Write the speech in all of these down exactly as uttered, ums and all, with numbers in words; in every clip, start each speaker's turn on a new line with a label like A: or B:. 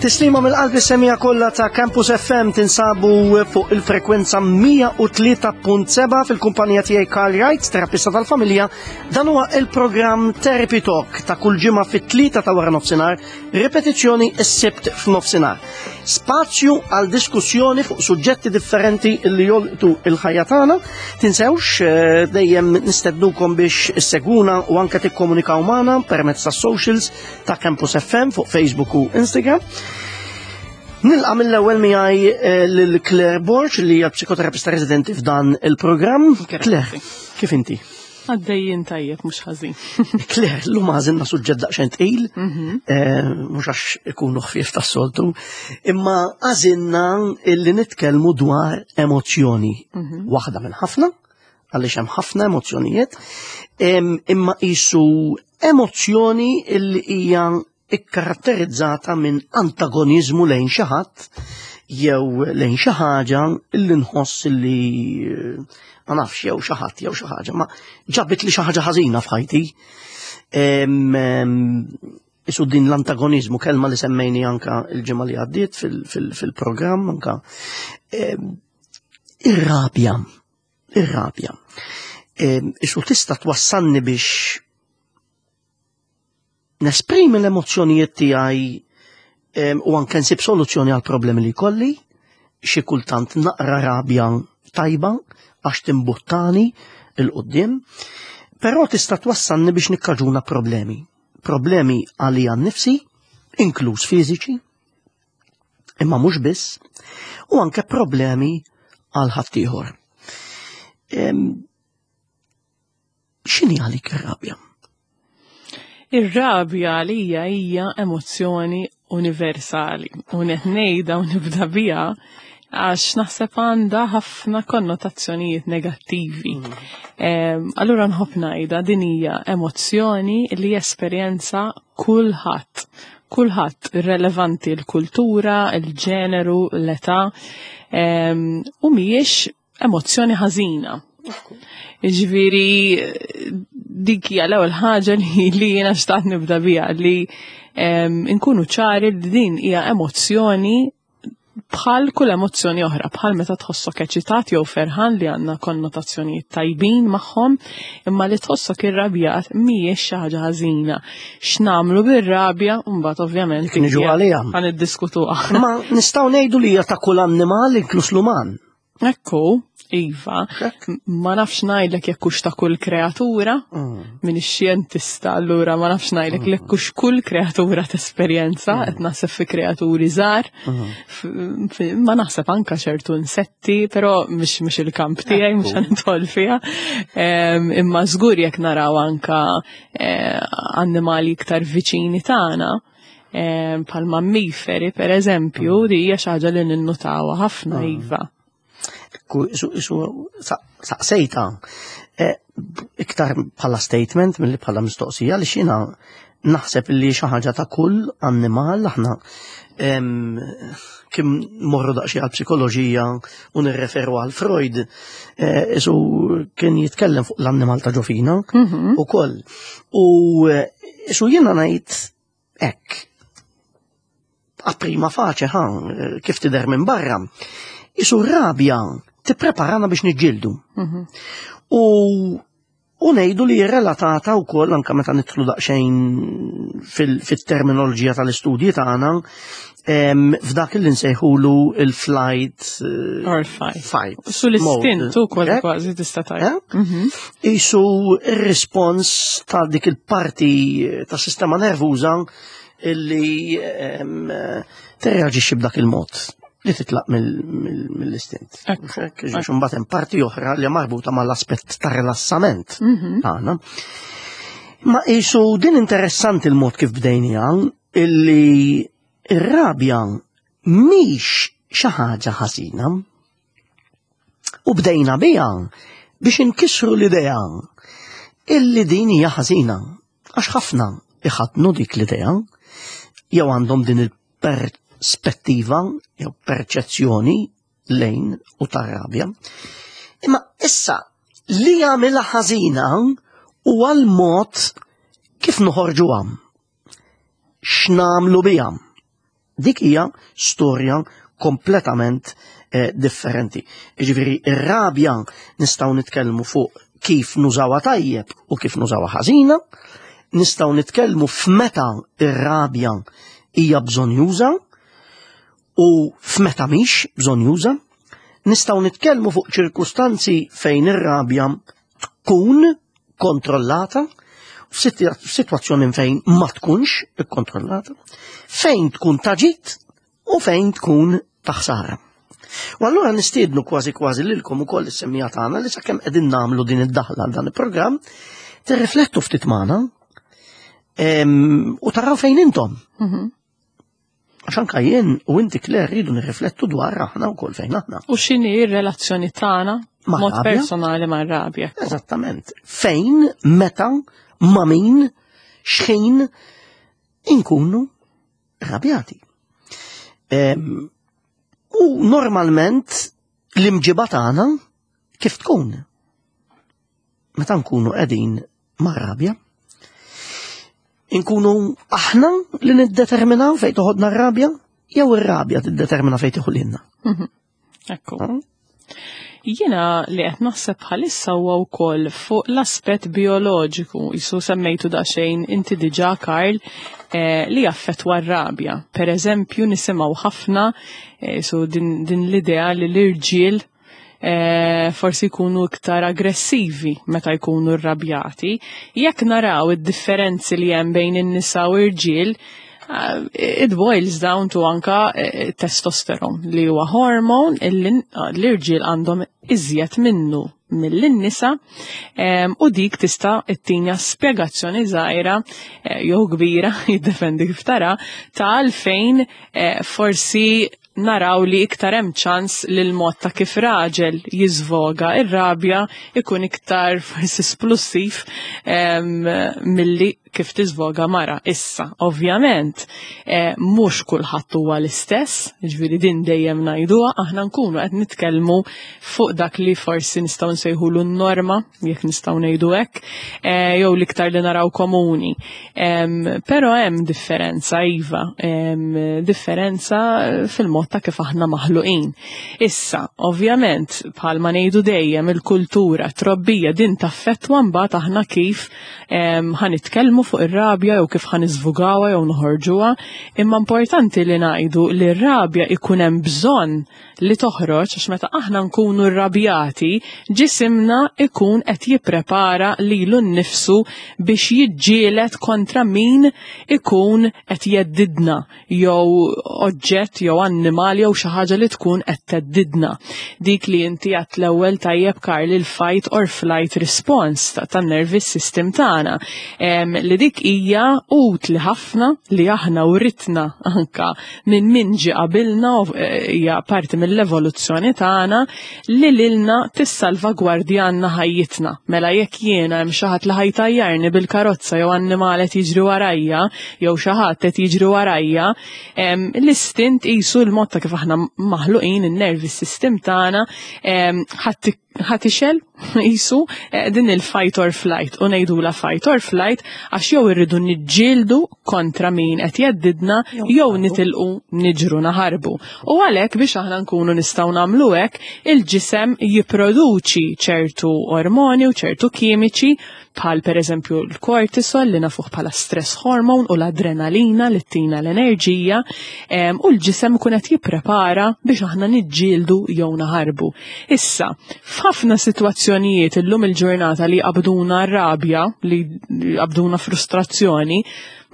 A: Tislima mill-qalb is-semmiegħa kollha ta' Campus F M. Tinsabu fuq il-frekwenza mija u tlieta punt sebgħa fil-kumpanija tiegħi Karl Wright, terapista tal-familja. Dan huwa il-programm Therapy Talk ta' kull ġimgħa fit-tlieta ta' wara nofsinhar, ripetizzjoni s-Sibt f'nofsinhar. Spazju għal diskussjoni fuq suġġetti differenti li jolqtu il-ħajja tagħna. Tinsewx, eh, dejjem nistednukom biex issegwuna u anke tikkomunikaw magħna permezz tas socials ta' Campus F M fuq Facebook u Instagram. Nilqa' mill-ewwel miegħi eh, lil Claire Borg, li hija psikoterapista residenti f'dan il-programm. Claire, kif inti?
B: Għaddejjin tajjeb, mhux ħażin.
A: Claire, llum għażilna suġġett daqsxejn tqil, eh, mhux għax ikunu ħfief tas-soltu, imma għażilna illi nitkellmu dwar emozzjoni. Waħda minn ħafna, għaliex hemm ħafna emozzjonijiet, em, imma qisu emozzjoni illi hija ikkaratterizzata minn antagonizmu lejn xi ħadd jew lejn xi ħaġa illi nħoss illi eh, ma nafx, jew xi ħadd jew xi ħaġa, ma ġabit li xi ħaġa ħażina f'ħajti. Em, em, Isu din l-antagonizmu, kelma li semmejni anka il-ġimgħa li għaddiet fil-programm anka. Em, Ir-rabja, ir-rabja. Em, Isu tista' twassalni biex nesprimi l-emozzjonijiet tiegħi em, u anke nsib soluzzjoni għal problemi li kolli, xi kultant naqra rabja tajba għax timbuttani 'l quddiem, però tista' twassalni biex nikkaġuna problemi. Problemi għalija nnifsi, inkluż fiżiċi, imma mhux biss, u anke problemi għal ħaddieħor. Em, X'inhi għalik ir-rabja?
B: Ir-rabja għalija hija emozzjoni universali. U qed ngħidha u nibda biha għax naħseb għandha ħafna konnotazzjonijiet negattivi. Em, Allura nħobb ngħidha, din hija emozzjoni li jesperjenza kulħadd. Kulħadd, irrelevanti l-kultura, il-ġeneru, l-età, em, u mhijiex emozzjoni ħażina. Ġifieri, dik hija l-ewwel ħaġa li, li jiena xtaqt nibda biha, li em, nkunu ċari li din hija emozzjoni bħal kull emozzjoni oħra, bħal meta tħossok eċitat jew ferħan, li għandna konnotazzjonijiet tajbin magħhom, imma li tħossok irrabjat mhijiex xi ħaġa ħażina. X'nagħmlu bir-rabja, mbagħad ovvjament
A: Dik niġu għaliha.
B: ħa niddiskutuha.
A: Ma nistgħu ngħidu li hija ta' kull annimal, inkluż l-uman.
B: Ekku, iva, ma nafx ngħidlek jekk hux ta' kull kreatura, minn xjentista, allura ma nafx ngħidlek jekk hux kull kreatura tesperjenza, qed naħseb fi kreaturi żgħar, f- f- ma naħseb anka ċertu insetti, però mhux mhux il-kamp tiegħi, mhux ħa nidħol fiha. Em, Imma żgur jekk naraw anka eh, annimali iktar viċini tagħna, em, bħal mammiferi per eżempju, di hija xi ħaġa li ninnutawha ħafna, iva.
A: Ku- Isu, isu, sa- saqsejta, eh, iktar bħala statement milli bħala mistoqsija, li xina naħseb li xi ħaġa ta' kull annimal. Aħna em, kim morru daqsxejn għal psikoloġija u nirreferu għal Freud, eh, isu kien jitkellem fuq l-annimal ta' ġo fina u koll. U eh, isu jiena ngħid hekk, a prima facie, ha, kif tidher minn barra, isu rabja tippreparana biex niġġieldu. U u ngħidu li relatata wkoll anke meta nidħlu daqsxejn fil- fit-terminoloġija tal-istudji tagħna em, f'dak li nsejħulu il-flight eh,
B: Or fight.
A: Fight
B: Su l-istint
A: mode.
B: ukoll
A: Hekk?
B: kważi tista' tgħid.
A: Eh? Isu il-respons ta' dik il-parti ta' sistema nervuża illi em, tirreaġixxi b'dak il-mod li titlaq mill- mill-istint.
B: Ekku,
A: Għax imbagħad hemm parti oħra li marbuta mal-aspett ta' rilassament tagħna. Ma isu din interessanti il-mod kif bdejnija, illi ir-rabja mhix xi ħaġa ħażina. U bdejna biha biex inkissru l-idea illi din hija ħażina. Għax ħafna iħadnu dik l-idea jew għandhom din il-perspettiva jew perċezzjoni lejn u tar-rabja. Imma issa li jagħmilha ħażina huwa l-mod kif noħorġuha. X'nagħmlu biha. Dik hija storja kompletament eh, differenti. Jiġifieri ir-rabja nistgħu nitkellmu fuq kif nużawha tajjeb u kif nużawha ħażina, nistgħu nitkellmu f'meta ir-rabja hija bżonjuża u f'meta mhix bżonjuża, nistgħu nitkellmu fuq ċirkustanzi fejn ir-rabja tkun kontrollata, f'sitwazzjoni fejn ma tkunx ikkontrollata, fejn tkun ta' ġid u fejn tkun ta' ħsara. U allura nistiednu kważi kważi lilkom ukoll is-semmiegħa tagħna li sakemm qegħdin nagħmlu din id-daħla għal dan il-programm, tirriflettu ftit magħna u taraw fejn intom.
B: Mhm.
A: Għax anka jien u inti, Claire, rridu nirriflettu dwar aħna wkoll fejn aħna.
B: U x'inhi r-relazzjoni tagħna
A: Ma'
B: mod
A: rabja?
B: personali ma' rabja.
A: Eżattament. Fejn, meta, ma' min, x'ħin inkunu rabjati. Em, U normalment l-imġiba tagħna kif tkun? Meta nkunu qegħdin ma' rabja? Inkunu aħna li niddeterminaw fejn toħodna r-rabja, jew ir-rabja tiddetermina fejn tieħu lilna?
B: Ekku. Jiena li qed naħseb bħalissa huwa wkoll fuq l-aspett bioloġiku, jisu semmejtu daqsxejn inti diġà, Karl, eh, li jaffettwa r-rabja. Per eżempju, nisimgħu ħafna eh, su din, din l-idea li l-irġiel eh, forsi jkunu iktar aggressivi meta jkunu rrabjati. Jekk naraw id-differenzi li hemm bejn in-nisa u irġiel, uh, it boils down to anka eh, testosteron li huwa hormone illi l-irġiel għandhom iżjed minnu mill-nisa em, u dik tista' ittina spjegazzjoni żgħira eh, jew kbira, jiddependi kif tara, ta' għalfejn eh, forsi naraw li iktar hemm ċans li l-mod ta' kif raġel jiżvoga ir-rabja ikun iktar forsi splussiv em, milli kif tiżvoga mara. Issa, ovvjament, eh, mhux kulħadd huwa l-istess, ġifieri din dejjem ngħiduha, aħna nkunu qed nitkellmu fuq dak li forsi nistgħu nsejħulu n-norma, jekk nistgħu ngħidu hekk, eh, jew l-iktar li naraw komuni. Em, Però hemm differenza, iva, em, differenza fil-mod ta' kif aħna maħluqin. Issa, ovvjament, bħalma ngħidu dejjem, il-kultura, trobbija din taffettwa mbagħad aħna kif em, ħa nitkellmu fuq ir-rabja jew kif ħa niżvugawha jew noħorġuha, imma importanti li ngħidu li r-rabja ikun hemm bżonn li toħroġ, għax meta aħna nkunu rrabjati, ġisimna ikun qed jipprepara lilu nnifsu biex jiġġieled kontra min ikun qed jheddidna, jew oġġett jew annimal jew xi ħaġa li tkun qed theddidna. Dik li inti għedt l-ewwel tajjeb, Karl, il-fight or flight response ta' tan-nervous system tagħna. Em, li dik hija utli ħafna li aħna uritna anka minn min ġi qabilna u eh, hija parti mill-evoluzzjoni tagħna li lilna tissalvagwardjanna ħajjitna. Mela jekk jiena hemm xi ħadd li ħa jtajjarni bil-karozza jew annimal qed jiġri warajja jew xi ħadd qed jiġri warajja, em, l-istint qisu l-mod ta' kif aħna maħluqin, in-nervous system tagħna em, ħadd ħa tixgħel qisu eh, din il-fight or flight, u ngħidula fight or flight għax jew irridu niġġieldu kontra min qed jheddidna jew nitilqu niġru naħarbu. U għalhekk biex aħna nkunu nistgħu nagħmlu hekk, il-ġisem jipproduċi ċertu ormoni u ċertu kimiċi, bħal per eżempju l-kortisol li nafuh bħala stress hormone u l-adrenalina li ttina l-enerġija, em, u l-ġisem ikun qed jipprepara biex aħna niġġieldu jew naħarbu. Issa, f'ħafna sitwazzjonijiet illum il-ġurnata li qabduna rabja, li qabduna frustrazzjoni,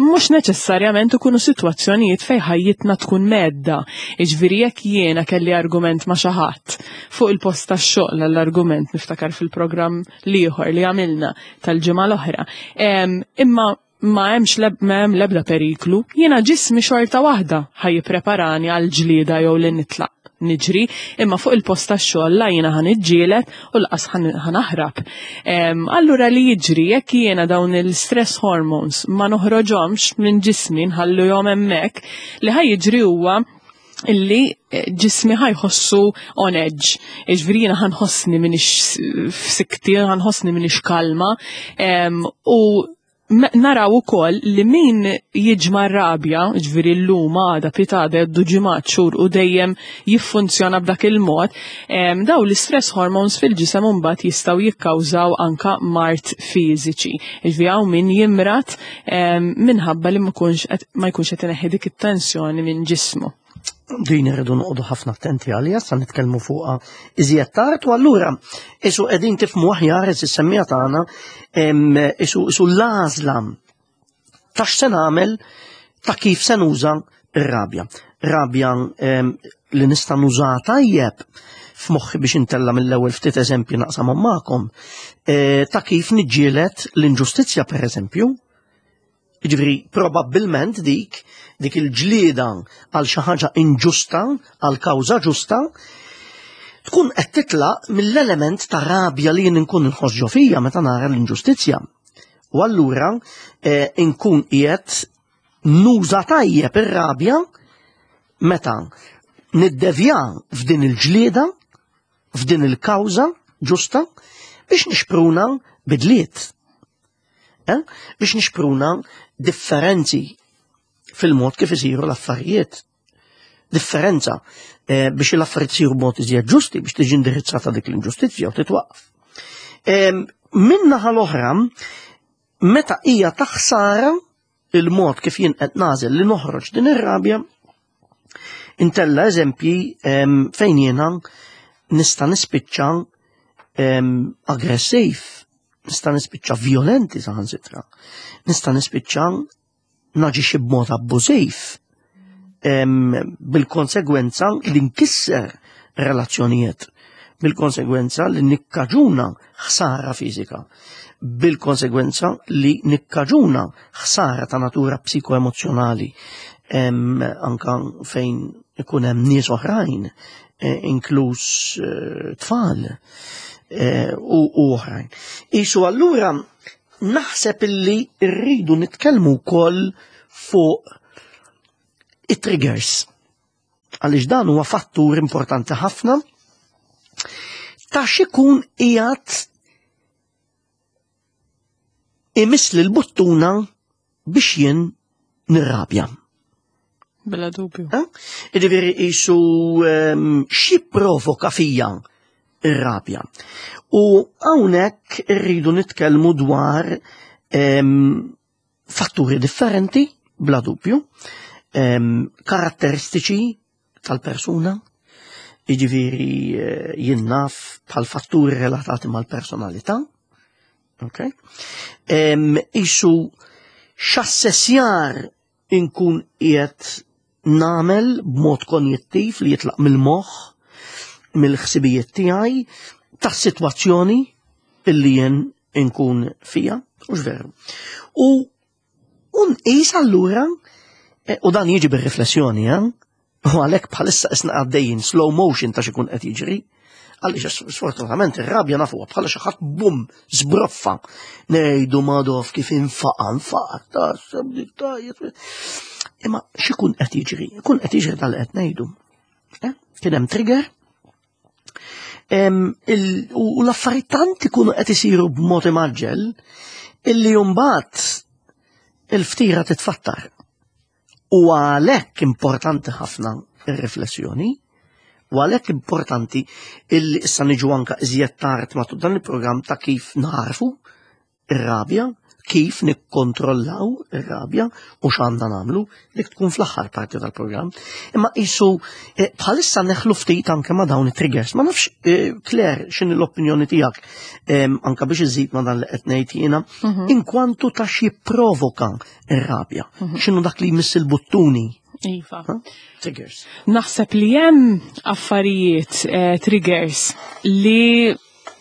B: mhux neċessarjament ikunu sitwazzjonijiet fejn ħajjitna tkun mhedda. Iġifieri jekk jiena kelli argument ma' xi ħadd fuq il-post tax-xogħol, l-argument niftakar fil-programm l-ieħor li għamilna tal-ġimgħa l-oħra. Em, Imma ma hemmx leb, ma hemm l-ebda periklu, jiena ġismi xorta waħda ħa jippreparani għal ġlieda jew li nitlaq niġri, imma fuq il-post tax-xogħol la jiena ħa niġġieled u lanqas ħa naħrab. Em, Allura li jiġri jekk jiena dawn il-stress hormones ma noħroġhomx minn ġismi, nħalluhom hemmhekk, li ħa jiġri huwa illi eh, ġismi ħa jħossu on edge. Iġifieri jiena ħa nħossni m'iniex f'sikti, ħa nħossni m'iniex kalma, em, u Naraw ukoll li min jiġma' rabja, ġifieri llum, għada, pitgħada, jgħaddu ġimgħat, xhur u dejjem jiffunzjona b'dak il-mod, daw l-istress hormones fil-ġisem mbagħad jistgħu jikkawżaw anka mard fiżiċi. Ġifieri hawn min jimrad minħabba li ma jkunx qed ineħħi dik it-tensjoni minn ġismu.
A: Din irridu noqogħdu ħafna attenti għalija, sa nitkellmu fuqha iżjed tard, u allura isu qegħdin tifhmu aħjar is-semmiegħa tagħna isu isu l-għażla ta' x'se nagħmel, ta' kif se nuża r-rabja. Rabja li nista' nuża tajjeb f'moħħi biex intella mill-ewwel ftit eżempju naqsamhom magħkom, e, ta' kif niġġieled l-inġustizzja, pereżempju. Jiġifieri probabbilment dik dik il-ġlieda għal xi ħaġa inġusta, għal kawża ġusta, tkun qed titlaq mill-element ta' rabja li jien inkun inħoss ġo fija meta nara l-inġustizzja. U allura eh, inkun qiegħed nuża tajjeb ir-rabja meta niddevja f'din il-ġlieda, f'din il-kawża ġusta biex nixpruna bidliet. Eh? Biex nixpruna differenzi fil-mod kif isiru l-affarijiet. Differenza eh, biex l-affarijiet isiru b'mod iżjed ġusti, biex tiġi indirizzata dik l-inġustizzja u titwaqf. Eh, Min-naħa l-oħra, meta hija ta' ħsara il-mod kif jien qed nagħżel li noħroġ din ir-rabja, intella eżempji fejn jiena nista' nispiċċa aggressiv, nista' nispiċċa violenti saħansitra, nista' nispiċċa naġixxi b'mod abbużiv, bil-konsegwenza li nkisser relazzjonijiet, bil-konsegwenza li nikkaġuna ħsara fiżika, bil-konsegwenza li nikkaġuna ħsara ta' natura psikoemozjonali, anka fejn ikun hemm nies oħrajn, eh, inkluż eh, tfal eh, u oħrajn. Isu allura naħseb illi rridu nitkellmu wkoll fuq it-triggers. Għaliex dan huwa fattur importanti ħafna ta' x'ikun qiegħed imiss l-buttuna biex jien nirrabja.
B: Bla dubju.
A: Jiġifieri isu xi provoka fija ir-rabja. U hawnhekk irridu nitkellmu dwar fatturi differenti, bla dubju, karatteristiċi tal-persuna, jiġifieri eh, jien naf bħal fatturi relatati mal-personalità, okay? Isu x'assessjar inkun qiegħed nagħmel b'mod konjettiv li jitlaq mill-moħħ, mill-ħsibijiet tiegħi, tas-sitwazzjoni illi jien inkun fija, u veru. U nqis allura, eh, u dan jiġi bir-riflessjoni, eh? U għalhekk bħalissa isna għaddejjin slow motion ta' xikun qed jiġri, għaliex sfortunatament ir-rabja nafuha bħala xi ħadd bum żbroffa. Ngħidu madof kif infaqa' nfaqa' taħseb dik tajjeb. Imma x'ikun qed jiġri? Ikun qed jiġri dal qed ngħidu. Eh? Kien hemm trigger. U l-affarijiet tant ikunu qed isiru b'mod imaġġel illi mbagħad il-ftira titfattar. U għalhekk importanti ħafna ir-riflessjoni, u għalhekk importanti illi issa niġu anka iżjed tard matul dan il-programm ta' kif narfu ir-rabja, kif nikkontrollaw ir-rabja u x'għandna nagħmlu, dik tkun fl-aħħar parti tal-programm. Imma qisu eh, bħalissa neħlu ftit anke ma' dawn it-triggers. Ma nafx, eh, Claire, x'inhi l-opinjoni tiegħek anke biex iżid ma' dan li qed ngħid jiena, mhm. inkwantu ta' xi provoka ir-rabja. Mhm. X'inhu dak li jmiss il-buttuni?
B: Iva.
A: Triggers.
B: Naħseb li hemm affarijiet, eh, triggers li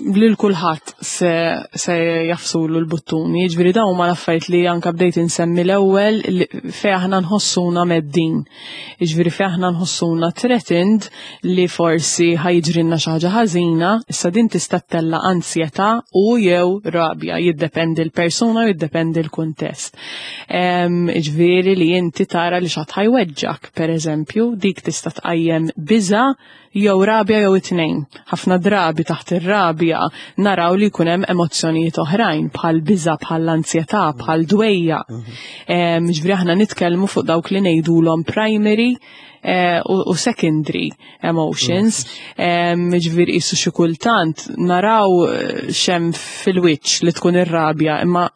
B: lil kulħadd se, se jagħfsulu l-buttuni. Jiġifieri dawn huma l-affarijiet li anka bdejt insemmi l-ewwel fejn aħna nħossuna mheddin. Jiġifieri fejn aħna nħossuna threatened li forsi ħa jiġrilna xi ħaġa ħażina, issa din tista' ttella' ansjetà u jew rabja, jiddependi l-persuna u jiddependi l-kuntest. Jiġifieri li inti tara li xi ħadd ħa jweġġgħek, pereżempju, dik tista' tqajjem biża' jew rabja jew it-tnejn. Ħafna drabi taħt ir-rabja naraw li jkun hemm emozzjonijiet oħrajn bħal biża, bħal ansjetà, bħal dwejja. Ġifieri aħna nitkellmu fuq dawk li ngħidulhom primary eh, u u secondary emotions. Ġifieri qisu xi kultant naraw eh, xem fil-wiċċ li tkun ir-rabja, imma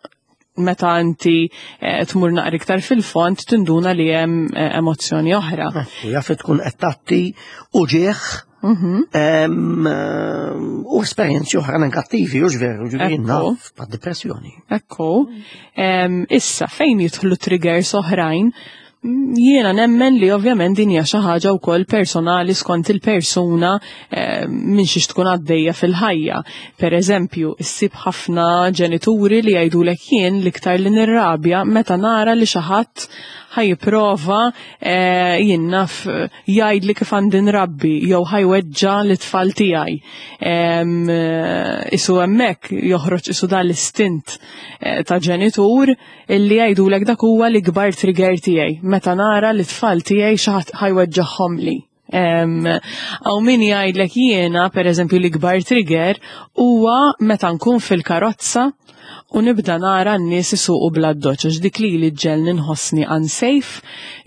B: meta inti eh, tmur naqra iktar fil-fond tinduna li hemm eh, emozzjoni oħra.
A: U jaf tkun qed tgħatti uġigħ em, u esperjenzi oħra negattivi, u veru, ġifieri
B: Ekku.
A: naf pa' depressjoni.
B: Ekku. Em, issa, fejn jidħlu triggers oħrajn, mm, jiena nemmen li ovvjament din hija xi ħaġa wkoll personali skont il-persuna eh, minn xiex tkun għaddejja fil-ħajja. Per eżempju, issib ħafna ġenituri li jgħidulek jien l-iktar li nirrabja meta nara li xi ħadd ħa jipprova eh, jien naf jgħidli kif għandi nrabbi jew ħa jweġġa' l-tfal tiegħi. Em, eh, Isu hemmhekk joħroġ isu dan l-istint eh, ta' ġenitur illi jgħidulek dak huwa l-ikbar trigger tiegħi meta nara li t-tfal tiegħi xi ħadd ħa jweġġagħhom li. Għaw min jgħidlek jiena, per eżempju, l-ikbar trigger huwa meta nkun fil-karozza u nibda nara n-nies isuqu bla doċ, għax dik li li ġġegħelni nħossni unsafe,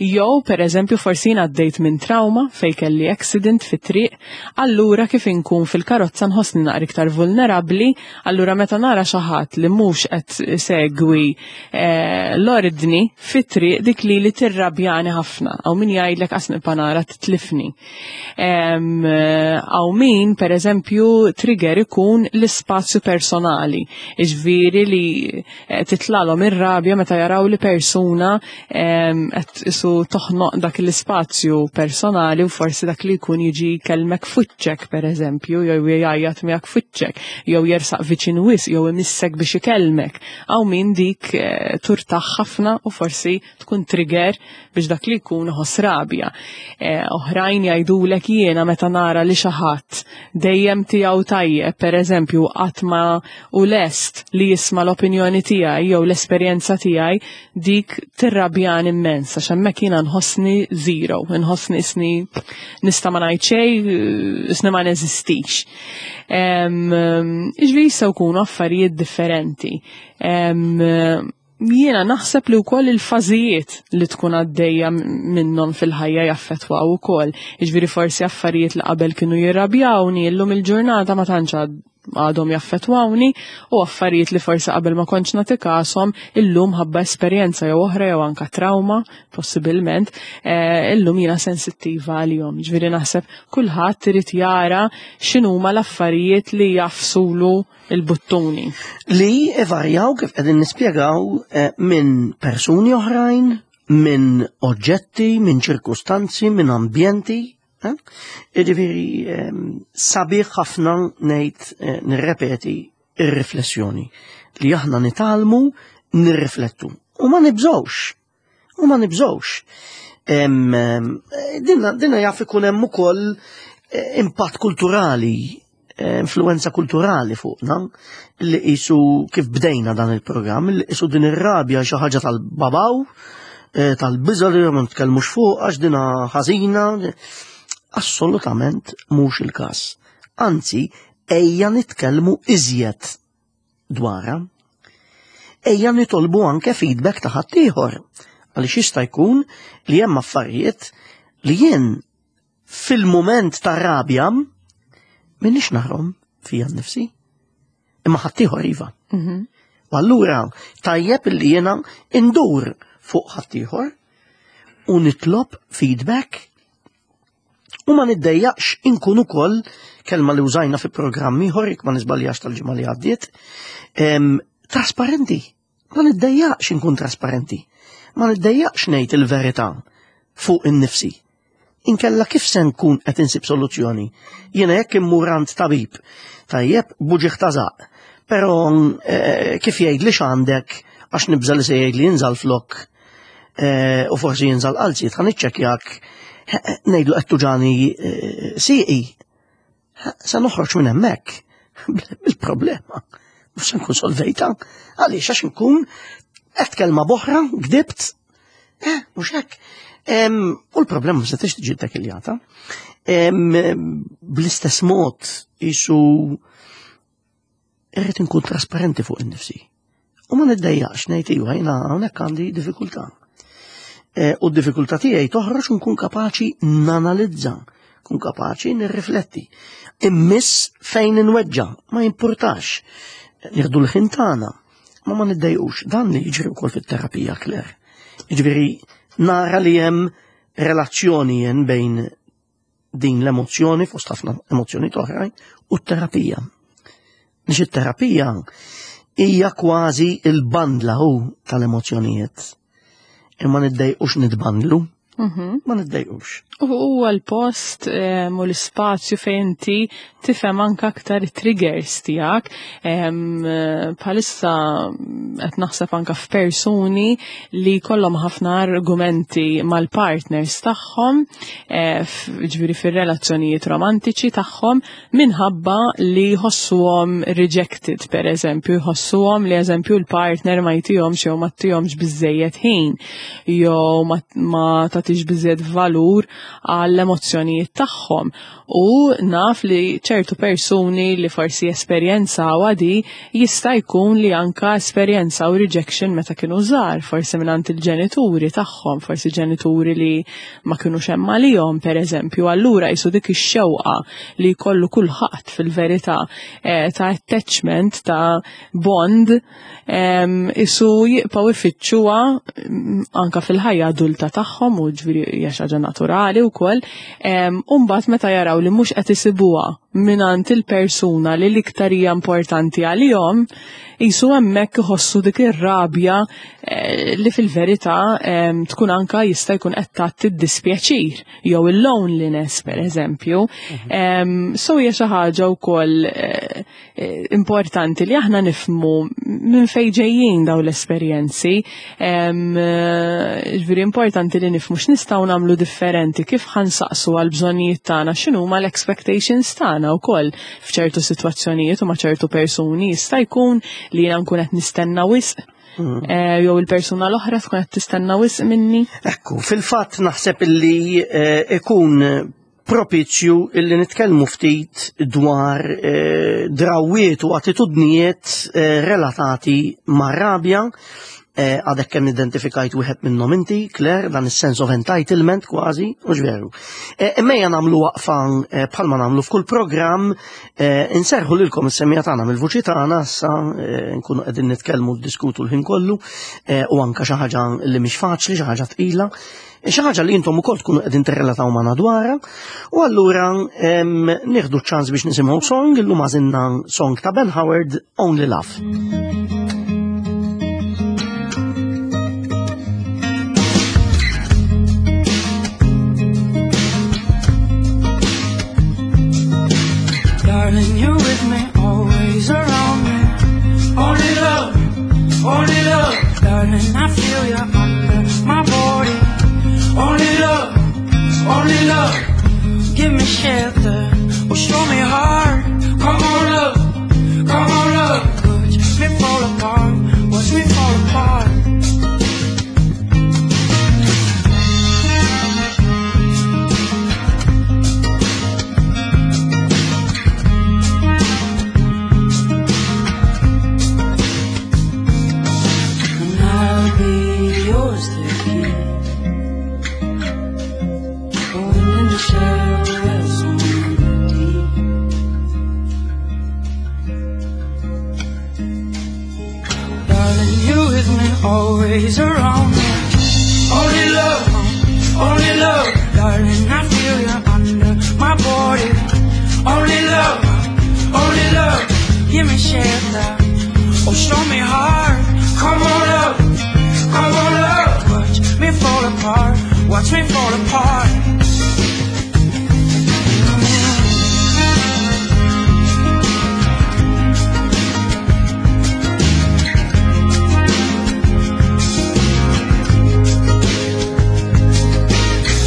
B: jew per eżempju forsi jien għaddejt minn trauma fej kelli accident fit-triq, allura kif inkun fil-karozza nħossni naqra iktar vulnerabli, allura meta nara xi ħadd li mhux qed segwi eh, l-ordni fit-triq dik li li tirrabjani ħafna, għaw min jgħidlek qas nibqa' nara titlifni. Għaw min, per eżempju, trigger ikun l-ispazju personali, iġviri li eh, titlalhom ir-rabja meta jaraw li persuna em, qed isu toħnoq dak l-ispazju personali u forsi dak li jkun jiġi kelmek f'wiċċek per eżempju, jew jgħajjat miegħek f'wiċċek, jew jersaq viċin wisq, jew imissek biex ikellmek. Għaw min dik eh, turtaħ ħafna u forsi tkun trigger biex dak li jkun iħoss rabja. Eh, Oħrajn jgħidulek jiena meta nara li xi ħadd dejjem tiegħu tajjeb, per eżempju, qatt ma u lest li jisma' l-opinjoni tiegħi jew l-esperjenza tiegħi, dik tirrabjan immens, għax hemmhekk jiena nħossni zero, nħossni isni nista' ma ngħid xejn, isni ma neżistix. Iġvi jistgħu jkunu affarijiet differenti. Em, Jiena naħseb li wkoll il-fażijiet li tkun għaddejja minnhom fil-ħajja jaffettwaw ukoll. Jiġifieri forsi affarijiet li qabel kienu jirrabjawni, illum il-ġurnata ma tantx għadhom jaffettwawni u affarijiet li forsi qabel ma kontx nagħti kashom illum ħabba esperjenza jew oħra jew anka trauma possibilment, eh, illum jiena sensittiva għalihom. Ġifieri naħseb kulħadd irid jara x'inhuma l-affarijiet li jagħfsulu il-buttuni.
A: Li ivarjaw kif qegħdin nispjegaw eh, minn persuni oħrajn, minn oġġetti, minn ċirkustanzi, minn ambjenti. eh? Jiġifieri ehm, sabiħ ħafna ngħid eh, nirrepeti ir-riflessjoni li aħna nitgħallmu nirriflettu u ma nibżgħux. U ma nibżgħux. Em, em, Dinna dinna jaf ikun hemm ukoll eh, impatt kulturali, eh, influenza kulturali fuqna li qisu kif bdejna dan il-programm, li qisu din ir-rabja xi ħaġa tal-babaw, eh, tal-biża li ma nitkellmux fuq għax dina ħażina. Assolutament mhux il-każ. Anzi, ejja nitkellmu iżjed dwarha. Ejja nitolbu anke feedback ta' ħaddieħor. Għaliex jista' jkun li hemm affarijiet li jien fil-mument ta' rabja minix narahom fija nnifsi. Imma ħaddieħor iva.
B: Mhm.
A: U allura tajjeb li jiena indur fuq ħaddieħor u nitlob feedback u ma niddejjaqx inkun ukoll kelma li użajna fi programm ieħor jekk ma niżbaljax tal-ġimgħa li għaddiet, em, trasparenti. Ma niddejjaqx inkun trasparenti. Ma niddejjaqx ngħid il-verità fuq in-nifsi. Inkella kif se nkun qed insib soluzzjoni? Jiena jekk immur għand tabib, tajjeb b'uġigħ ta' żaqq, però eh, kif jgħid li x'għandek għax nibża li se jgħid li jinżal flok eh, u forsi jinżal qalziet, ħa niċċekkjak ngħidlu qed tuġani eh, sieqi. Se noħroġ minn hemmhekk bil-problema. Mhux se nkun solvejta. Għaliex għax nkun qed kelma b'oħra, gdibt, eh, mhux hekk. Em, U l-problema ma setgħetx tiġi takiljata. Bl-istess mod isu Irrid inkun trasparenti fuq innifsi. U ma niddejjaqx ngħid iva jiena hawnhekk għandi diffikultà. E, u d-diffikultà tiegħi toħroġ nkun kapaċi nanalizza, nkun kapaċi nirrifletti. Immiss fejn inweġġa, ma jimpurtax. Nieħdu l-ħin tagħna, ma ma niddejqux. Dan li jiġri wkoll fit-terapija, Claire. Jiġifieri nara li hemm relazzjoni jen bejn din l-emozzjoni, fost ħafna emozzjoni oħrajn, u t-terapija. Nix it-terapija hija kważi il-bandla hu tal-emozzjonijiet. Imma niddejqux nitbandlu,
B: Mhm.
A: ma niddejqux.
B: U huwa l-post em, u l-ispazju fejn inti tifhem anke aktar it-triggers tiegħek. Em, Bħalissa qed naħseb anke f'persuni li kollhom ħafna argumenti mal-partners tagħhom, eh, f- ġifieri fir-relazzjonijiet romantiċi tagħhom minħabba li jħossuhom rejected, per eżempju, jħossuhom li eżempju l-partner ma jtihomx jew ma tihomx biżejjed ħin jew ma, ma tagħtix biżejjed valur għall-emozzjonijiet tagħhom. U naf li ċertu persuni li forsi esperjenzaw għadi jista' jkun li anka esperjenzaw rejection meta kienu żgħar, forsi mingħand il-ġenituri tagħhom, forsi ġenituri li ma kinux hemm għalihom pereżempju. Allura jisu dik ix-xewqa li jkollu kulħadd fil-verità eh, ta' attachment, ta' bond, em, isu jibqgħu ifittxuha mm, anka fil-ħajja adulta tagħhom u ġifieri hija xi ħaġa naturali wkoll. Em, U mbagħad meta jaraw li mhux qed isibuha mingħand il-persuna li l-iktar hija importanti għalihom, jisu hemmhekk iħossu dik ir-rabja eh, li fil-verità em, tkun anka jista' jkun qed tagħti d-dispjaċir jew il-loneliness pereżempju. Em, So hija xi ħaġa wkoll eh, eh, importanti li aħna nifhmu minn fejn ġejjin dawn l-esperjenzi. Em, eh, Ġifieri importanti li nifhmu x'nistgħu nagħmlu differenti, kif ħa nsaqsu għal bżonnijiet tagħna, x'inhuma l-expectations tagħna wkoll f'ċertu sitwazzjonijiet u ma' ċertu persuni jista' jkun li jiena nkun qed nistenna wisq eh, jew il-persuna l-oħra tkun qed tistenna wisq minni.
A: Ekku, fil-fatt naħseb illi eh, ikun propizju illi nitkellmu ftit dwar eh, drawiet u attitudnijiet eh, relatati ma' rabja. Eh, Għadek kemm identifikajt wieħed minnhom inti, Claire, dan is-sense of entitlement kważi, u veru. Eh, Imma ejja nagħmlu waqfa eh, bħalma nagħmlu f'kull programm, eh, inserħu lilkom is-semmiegħa tagħna mill-vuċi tagħna issa eh, nkunu qegħdin nitkellmu diskutu l-ħin kollu eh, u anka xi ħaġa li mhix faċli, xi ħaġa tqila. Xi ħaġa li intom ukoll tkunu qegħdin tirrelataw magħna dwarha, u allura em, nieħdu ċ-ċans biex nisimgħu song, illum għażilna song ta' Ben Howard, Only Love.
C: Darling, you're with me, always around me. Only love, only love. Darling, I feel you under my body. Only love, only love. Give me shelter, oh show me heart. Come on, love, come on, love. Watch me fall apart, watch me fall apart. And I'll be yours to keep. Going in the shallow on the deep. Darling, you with me, always around me. Only love, only love. Darling, I feel you under my body. Only love, only love. Give me shelter. Oh, show me heart. Come on, love. Come on, love. Watch me fall apart. Watch me fall apart.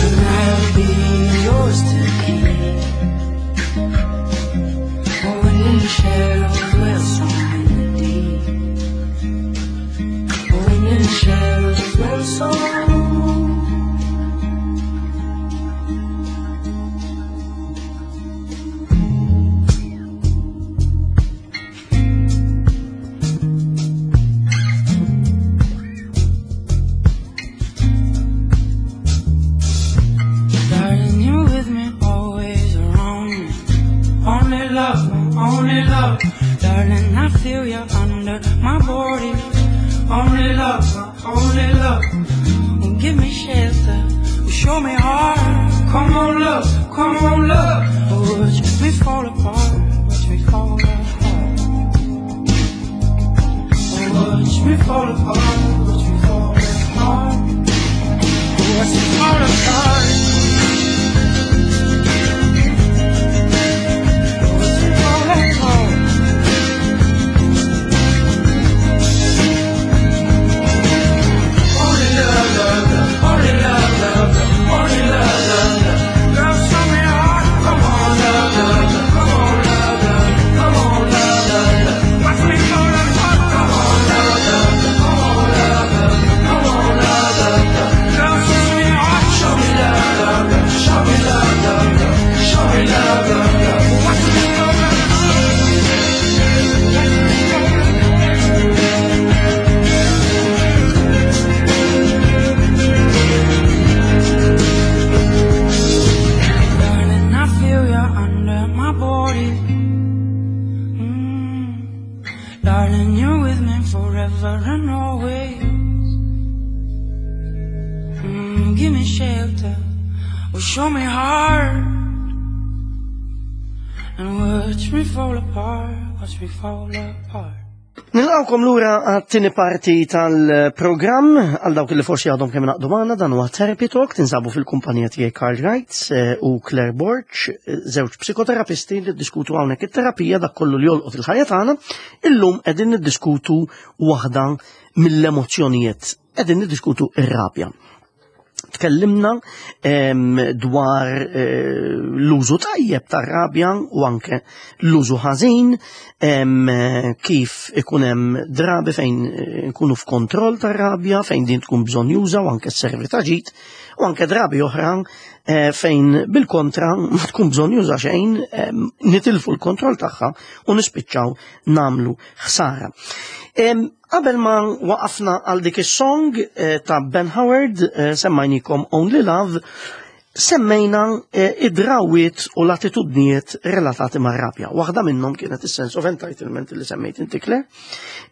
C: And I'll be yours to keep. Oh, when in the shadows, well, so in the deep. Oh, when in the shadows, well, so love, darling, I feel you under my body. Only love, only love, will give me shelter, will show me heart. Come on, love, come on, love, watch me fall apart, watch me fall apart. Watch me fall apart, watch me fall apart, watch me fall apart. Watch me fall apart. Only love, love, love, only love, love, love, only love, love, love. Girl, show me heart. Come on, love, love, love, come on, love, love, come on, love, love, love. Watch me fall apart. Come on, love, love, love, come on, love, love, come on, love, love, love. Girl, show me heart. Show me love, love, love, show me love, love, love, show me love, love, love. Watch me fall apart. Darling, I feel you under my body. Mm. Darling, you're with me forever and always. Mm, give me shelter, oh, show me heart. And watch me fall apart, watch me fall apart.
A: Nilqawkom lura għat-tieni parti tal-programm, għal dawk li forsi għadhom kemm naqdu magħna, dan huwa Therapy Talk, tinsabu fil-kumpanija tiegħi Karl Wright eh, u Claire Borg, eh, żewġ psikoterapisti li ddiskutu hawnhekk it-terapija, dak kollu li jolqot il-ħajja tagħna. Illum qegħdin niddiskutu waħda mill-emozzjonijiet, qegħdin niddiskutu ir-rabja. Tkellimna em, dwar eh, l-użu tajjeb tar-rabja u anke l-użu ħażin, em, kif ikun hemm drabi fejn eh, nkunu f'kontroll tar-rabja, fejn din tkun bżonn juża u anke sservi ta' ġid, u anke drabi oħra eh, fejn bil-kontra ma tkun bżonn juża xejn, em, nitilfu l-kontroll tagħha u nispiċċaw namlu ħsara. Em, Qabel ma waqafna għal dik is-song eh, ta' Ben Howard, eh, semmajnikom Only Love, semmejna eh, id-drawiet u l-attitudnijiet relatati mar-rabja. Waħda minnhom kienet is-sense of entitlement li semmejt inti, Claire.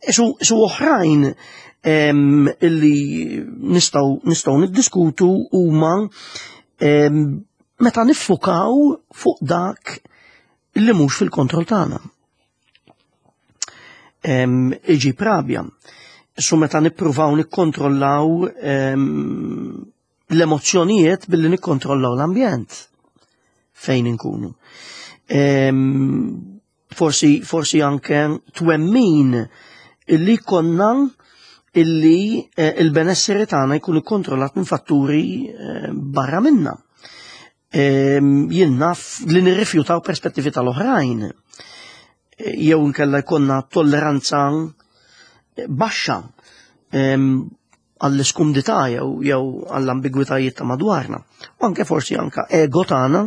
A: Su, su oħrajn em, illi nistgħu nistgħu niddiskutu huma em, meta niffukaw fuq dak li mhux fil-kontroll tagħna. Em, iġib rabja. Su meta nippruvaw nikkontrollaw em, l-emozzjonijiet billi nikkontrollaw l-ambjent fejn inkunu. Em, forsi, forsi anke twemmin illi konna illi eh, il-benesseri tagħna jkun ikkontrollat minn fatturi eh, barra minna. Em, jien naf li nirrifjutaw perspettivi tal-oħrajn. Jew nkella jkollna tolleranza baxxa em, għall-iskumdità jew jew għall-ambigwitajiet ta' madwarna. U anke forsi anke ego tagħna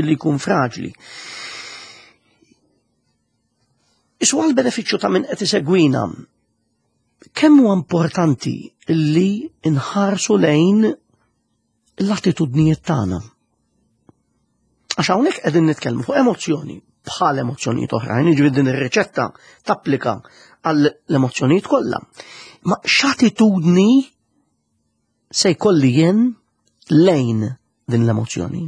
A: illi jkun fraġli. Isu għal benefiċċju ta' min qed isegwina, kemm huwa importanti illi nħarsu lejn l-attitudnijiet tagħna. Għax hawnhekk qegħdin nitkellmu fuq emozzjoni bħal emozzjonijiet oħrajn, jiġifieri din ir-riċetta tapplika għall emozzjonijiet kollha. Ma x'attitudni se jkolli jien lejn din l-emozzjoni?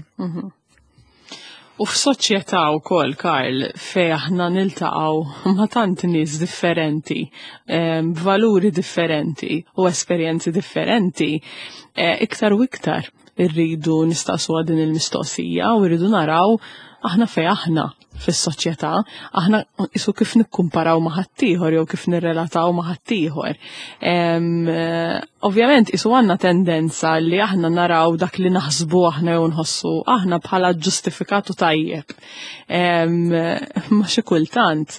B: U f'soċjetà wkoll, Karl, fej aħna niltaqgħu ma' tant nies differenti, em, b'valuri differenti u esperjenzi differenti, eh, iktar u iktar irridu nistaqsu din il-mistoqsija u rridu naraw aħna fej aħna fis-soċjetà, aħna isu kif nikkumparaw ma' ħaddieħor jew kif nirrelataw ma' ħaddieħor. Em, eh, Ovvjament isu għandna tendenza li aħna naraw dak li naħsbu aħna jew nħossu aħna bħala ġustifikatu tajjeb. Em, Ma xi kultant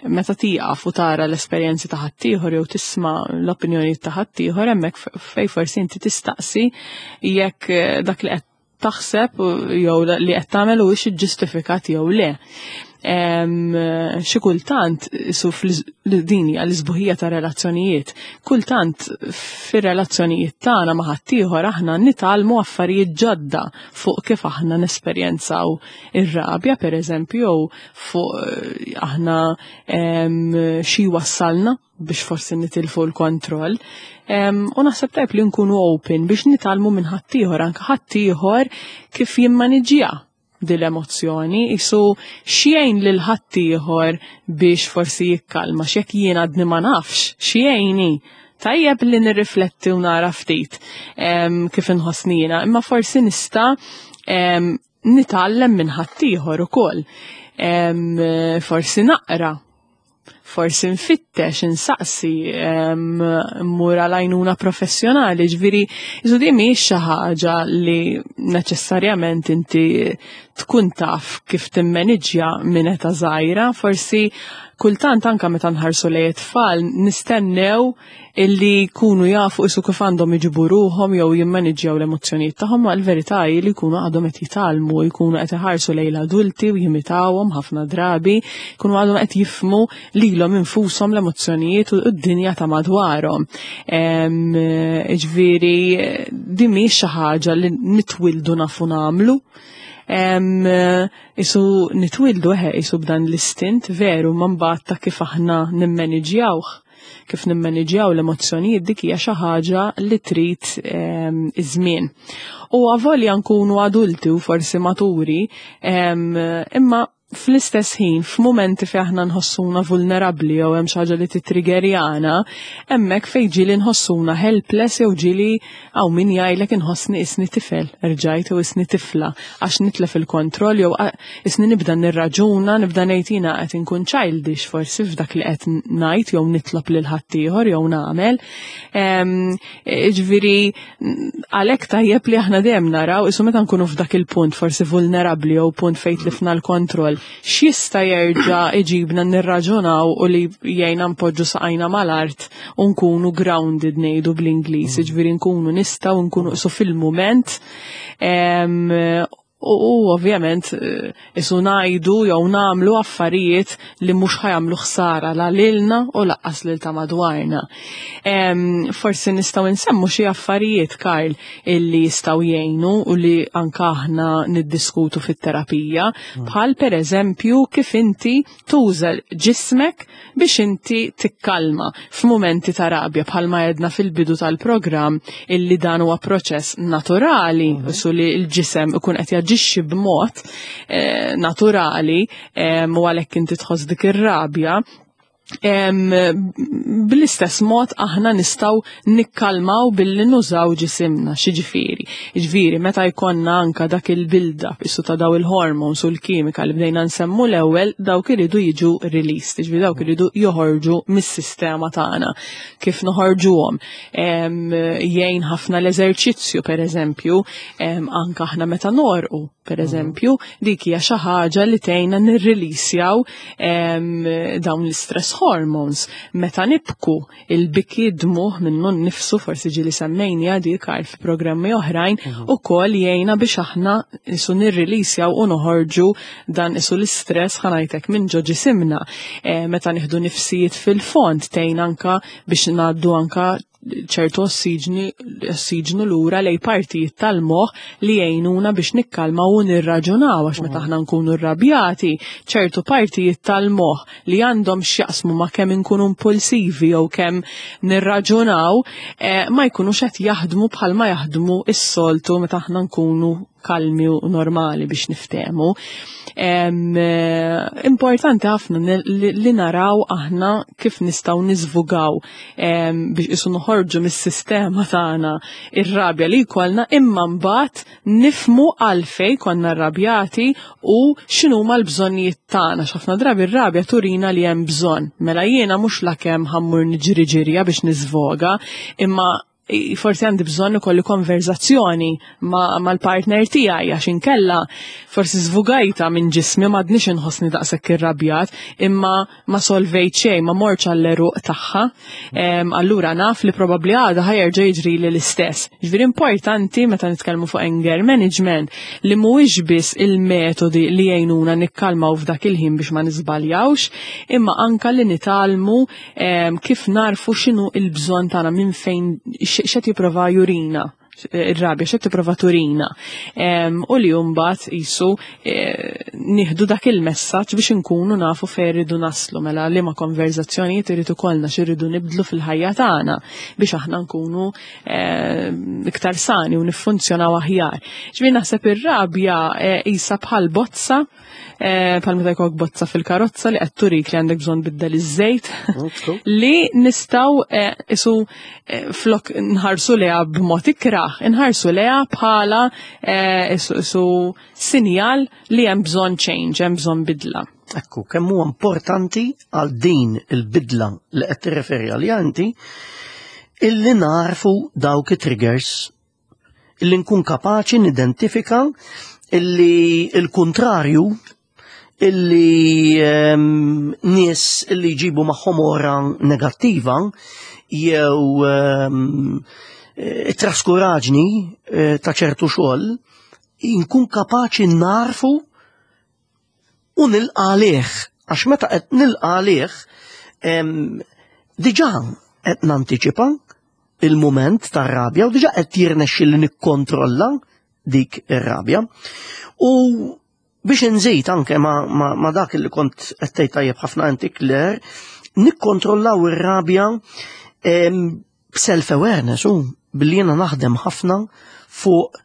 B: meta tieqaf u tara l-esperjenzi ta' ħaddieħor jew tisma' l-opinjoni ta' ħaddieħor, hemmhekk fej forsi inti tistaqsi jekk eh, dak li qed taħseb jew li qed tagħmel huwiex iġġustifikat jew le. Xi kultant su din hija l-isbuħija ta' relazzjonijiet. Kultant fir-relazzjonijiet tagħna ma' ħaddieħor aħna nitgħallmu affarijiet ġodda fuq kif aħna nesperjenzaw ir-rabja, pereżempju, jew fuq eh, aħna xi wassalna biex forsi nitilfu l-kontroll. U naħseb tajb li nkunu open biex nitgħallmu minn ħaddieħor, anke ħaddieħor kif jimmaniġġja dil-emozzjoni, isu x'jgħin lil ħaddieħor biex forsi jikkalma, x'jekk jien għadni ma nafx, x'jgħinni. Tajjeb li nirrifletti u nara ftit kif inħossni jiena, imma forsi nista' nitgħallem minn ħaddieħor ukoll. Forsi naqra, forsi nfittex, insaqsi, mmur għal professjonali, ġifieri, isu di mhix xi ħaġa li neċessarjament inti tkun taf kif timmaniġġja minn età żgħira, forsi kultant anka meta nħarsu lejn it-tfal nistennew illi jkunu jafu isu kif għandhom iġibu ruħhom jew jimmaniġġjaw l-emozzjonijiet tagħhom, ma l-verità hi li jkunu għadhom qed jitgħallmu, jkunu qed iħarsu lejn l-adulti u jimitawhom ħafna drabi, jkunu għadhom qed jifhmu lilhom infushom, l-emozzjonijiet u d-dinja ta' madwarhom. Ġifieri din mhix xi ħaġa li nitwildu nafu nagħmlu. Isu nitwildu eħe isu b'dan l-istint veru, ma mbagħad ta' kif aħna nimmaniġjawh, kif nimmaniġjaw l-emozzjonijiet, dik hija xi ħaġa li trid iż-żmien. U avolja nkunu adulti u forsi maturi, imma fl-istess ħin, f'mumenti fejn aħna nħossuna vulnerabbli jew hemm xi ħaġa li titriggerjana, hemmhekk fejn ġieli nħossuna helpless jew ġieli hawn min jgħidlek inħossni isni tifel, rġajt, u isni tifla, għax nitlef il-kontroll jew isni nibda nirraġuna, nibda ngħid jiena qed inkun childish forsi f'dak li qed ngħid jew nitlob lil ħaddieħor jew nagħmel. Ġifieri għalhekk tajjeb li aħna dejjem naraw isu meta nkunu f'dak il-punt forsi vulnerabbli jew punt fejn tlifna l-kontroll, x'jista' jerġa' iġibna nirraġunaw u li jgħinna npoġġu saqajna mal-art u nkunu grounded, ngħidu bl-Ingliż, ġifieri nkunu nistgħu nkunu isu fil-mument u u ovvjament eh, isu ngħidu jew nagħmlu affarijiet li mhux ħa jagħmlu ħsara la lilna u lanqas lil ta' madwarna. Em, Forsi nistgħu nsemmu xi affarijiet, Karl, illi jistgħu jgħinu u li anka aħna niddiskutu fit-terapija, bħal per eżempju kif inti tuża ġismek biex inti tikkalma f'mumenti ta' rabja, bħalma għedna fil-bidu tal-programm illi dan huwa proċess naturali, su li l-ġisem ikun qed jaġixxi b'mod eh, naturali eh, u għalhekk inti tħoss dik ir-rabja. Em, Bl-istess mod aħna nistgħu nikkalmaw billi nużaw ġisimna, xiġifieri. Ġifieri, meta jkollna anka dak il-build-up, isu ta' daw il-hormones u l-kimika li bdejna nsemmu l-ewwel, dawk iridu jiġu released, ġifieri dawk iridu joħorġu mis-sistema tagħna. Kif noħorġuhom? Em, Jgħin ħafna l-eżerċizzju, per eżempju, em, anka aħna meta norqu, per eżempju, dik hija xi ħaġa li tgħinna nirrilisjaw em, dawn l-stress hormones. Meta nibku, il-biki, dmugħ minnu nnifsu, forsi ġieli semmejni għadi Karl fi programmi oħrajn, ukoll jgħinna biex aħna isu nirrilisjaw u noħorġu dan isu l-istress, ħa ngħidlek, minn ġo ġisimna. E, meta nieħdu nifsijiet fil-fond tgħin anka biex ngħaddu anka ċertu ossiġni, ossiġnu lura lejn partijiet tal-moħħ li jgħinuna biex nikkalmaw u nirraġunaw, għax meta aħna nkunu rrabjati, ċertu partijiet tal-moħħ li għandhom x'jaqsmu ma' kemm inkunu impulsivi jew kemm nirraġunaw eh, ma jkunux qed jaħdmu bħalma jaħdmu s-soltu meta aħna nkunu kalmi u normali, biex niftehmu. Em, eh, Importanti ħafna li, li naraw aħna kif nistgħu niżvugaw em, biex isu noħorġu mis-sistema tagħna ir-rabja li jkollna, imma mbagħad nifhmu għalfejn konna rrabjati u x'inhuma l-bżonnijiet tagħna. X'ħafna drabi r-rabja turina li hemm bżonn. Mela jiena mhux lakemm ħa mmur niġri ġirja biex niżvoga, imma Forsi għandi bżonn ikolli konverzazzjoni mal-partner tiegħi, għax inkella forsi żvugajta minn ġismi, m'għadniex inħossni daqshekk irrabjat, imma ma solvejt xejn, ma mortx għall-għeruq tagħha. Allura naf li probabbli għada ħa jerġa' jiġri li l-istess. Ġifieri importanti meta nitkellmu fuq anger management li mhuwiex biss il-metodi li jgħinuna nikkalmaw f'dak il-ħin biex ma niżbaljawx, imma anka li nitgħallmu kif narfu x'inhu il-bżonn tagħna, minn fejn, x'qed jipprova jurina ir-rabja, x'qed tipprova turina. U li mbagħad qisu nieħdu dak il-messaġġ biex inkunu nafu fejn irridu naslu, mela liema konverzazzjonijiet irid ikollna, x'irridu nibdlu fil-ħajja tagħna biex aħna nkunu iktar sani u niffunzjonaw aħjar. Ġifieri naħseb ir-rabja qisha bħal bozza, bħal meta jkollok bozza fil-karozza li qed turik li għandek bżonn biddel iż-żejt, li nistgħu isu flok nħarsu leha b'mod ikrah, nħarsu leha bħala isu sinjal li hemm bżonn change, hemm bżonn bidla.
A: Ekku, kemm huwa importanti għal din il-bidla li qed tirreferi għaliha inti, illi narfu dawk it-triggers, illi nkun kapaċi nidentifika illi il-kontrarju, illi um, nies illi jġibu magħhom ora negattiva jew um, traskuraġni ta' ċertu xogħol, inkun kapaċi narfu u nilqa' għalih, għax meta qed nilqa' għalih diġà qed nantiċipa il-mument tar-rabja u diġà qed jirnexxi li nikkontrolla dik ir-rabja. U biex nżid anke ma, ma, ma dak li kont qed tgħid tajjeb ħafna inti, Claire, nikkontrollaw ir-rabja b'self-awareness u billi jiena naħdem ħafna fuq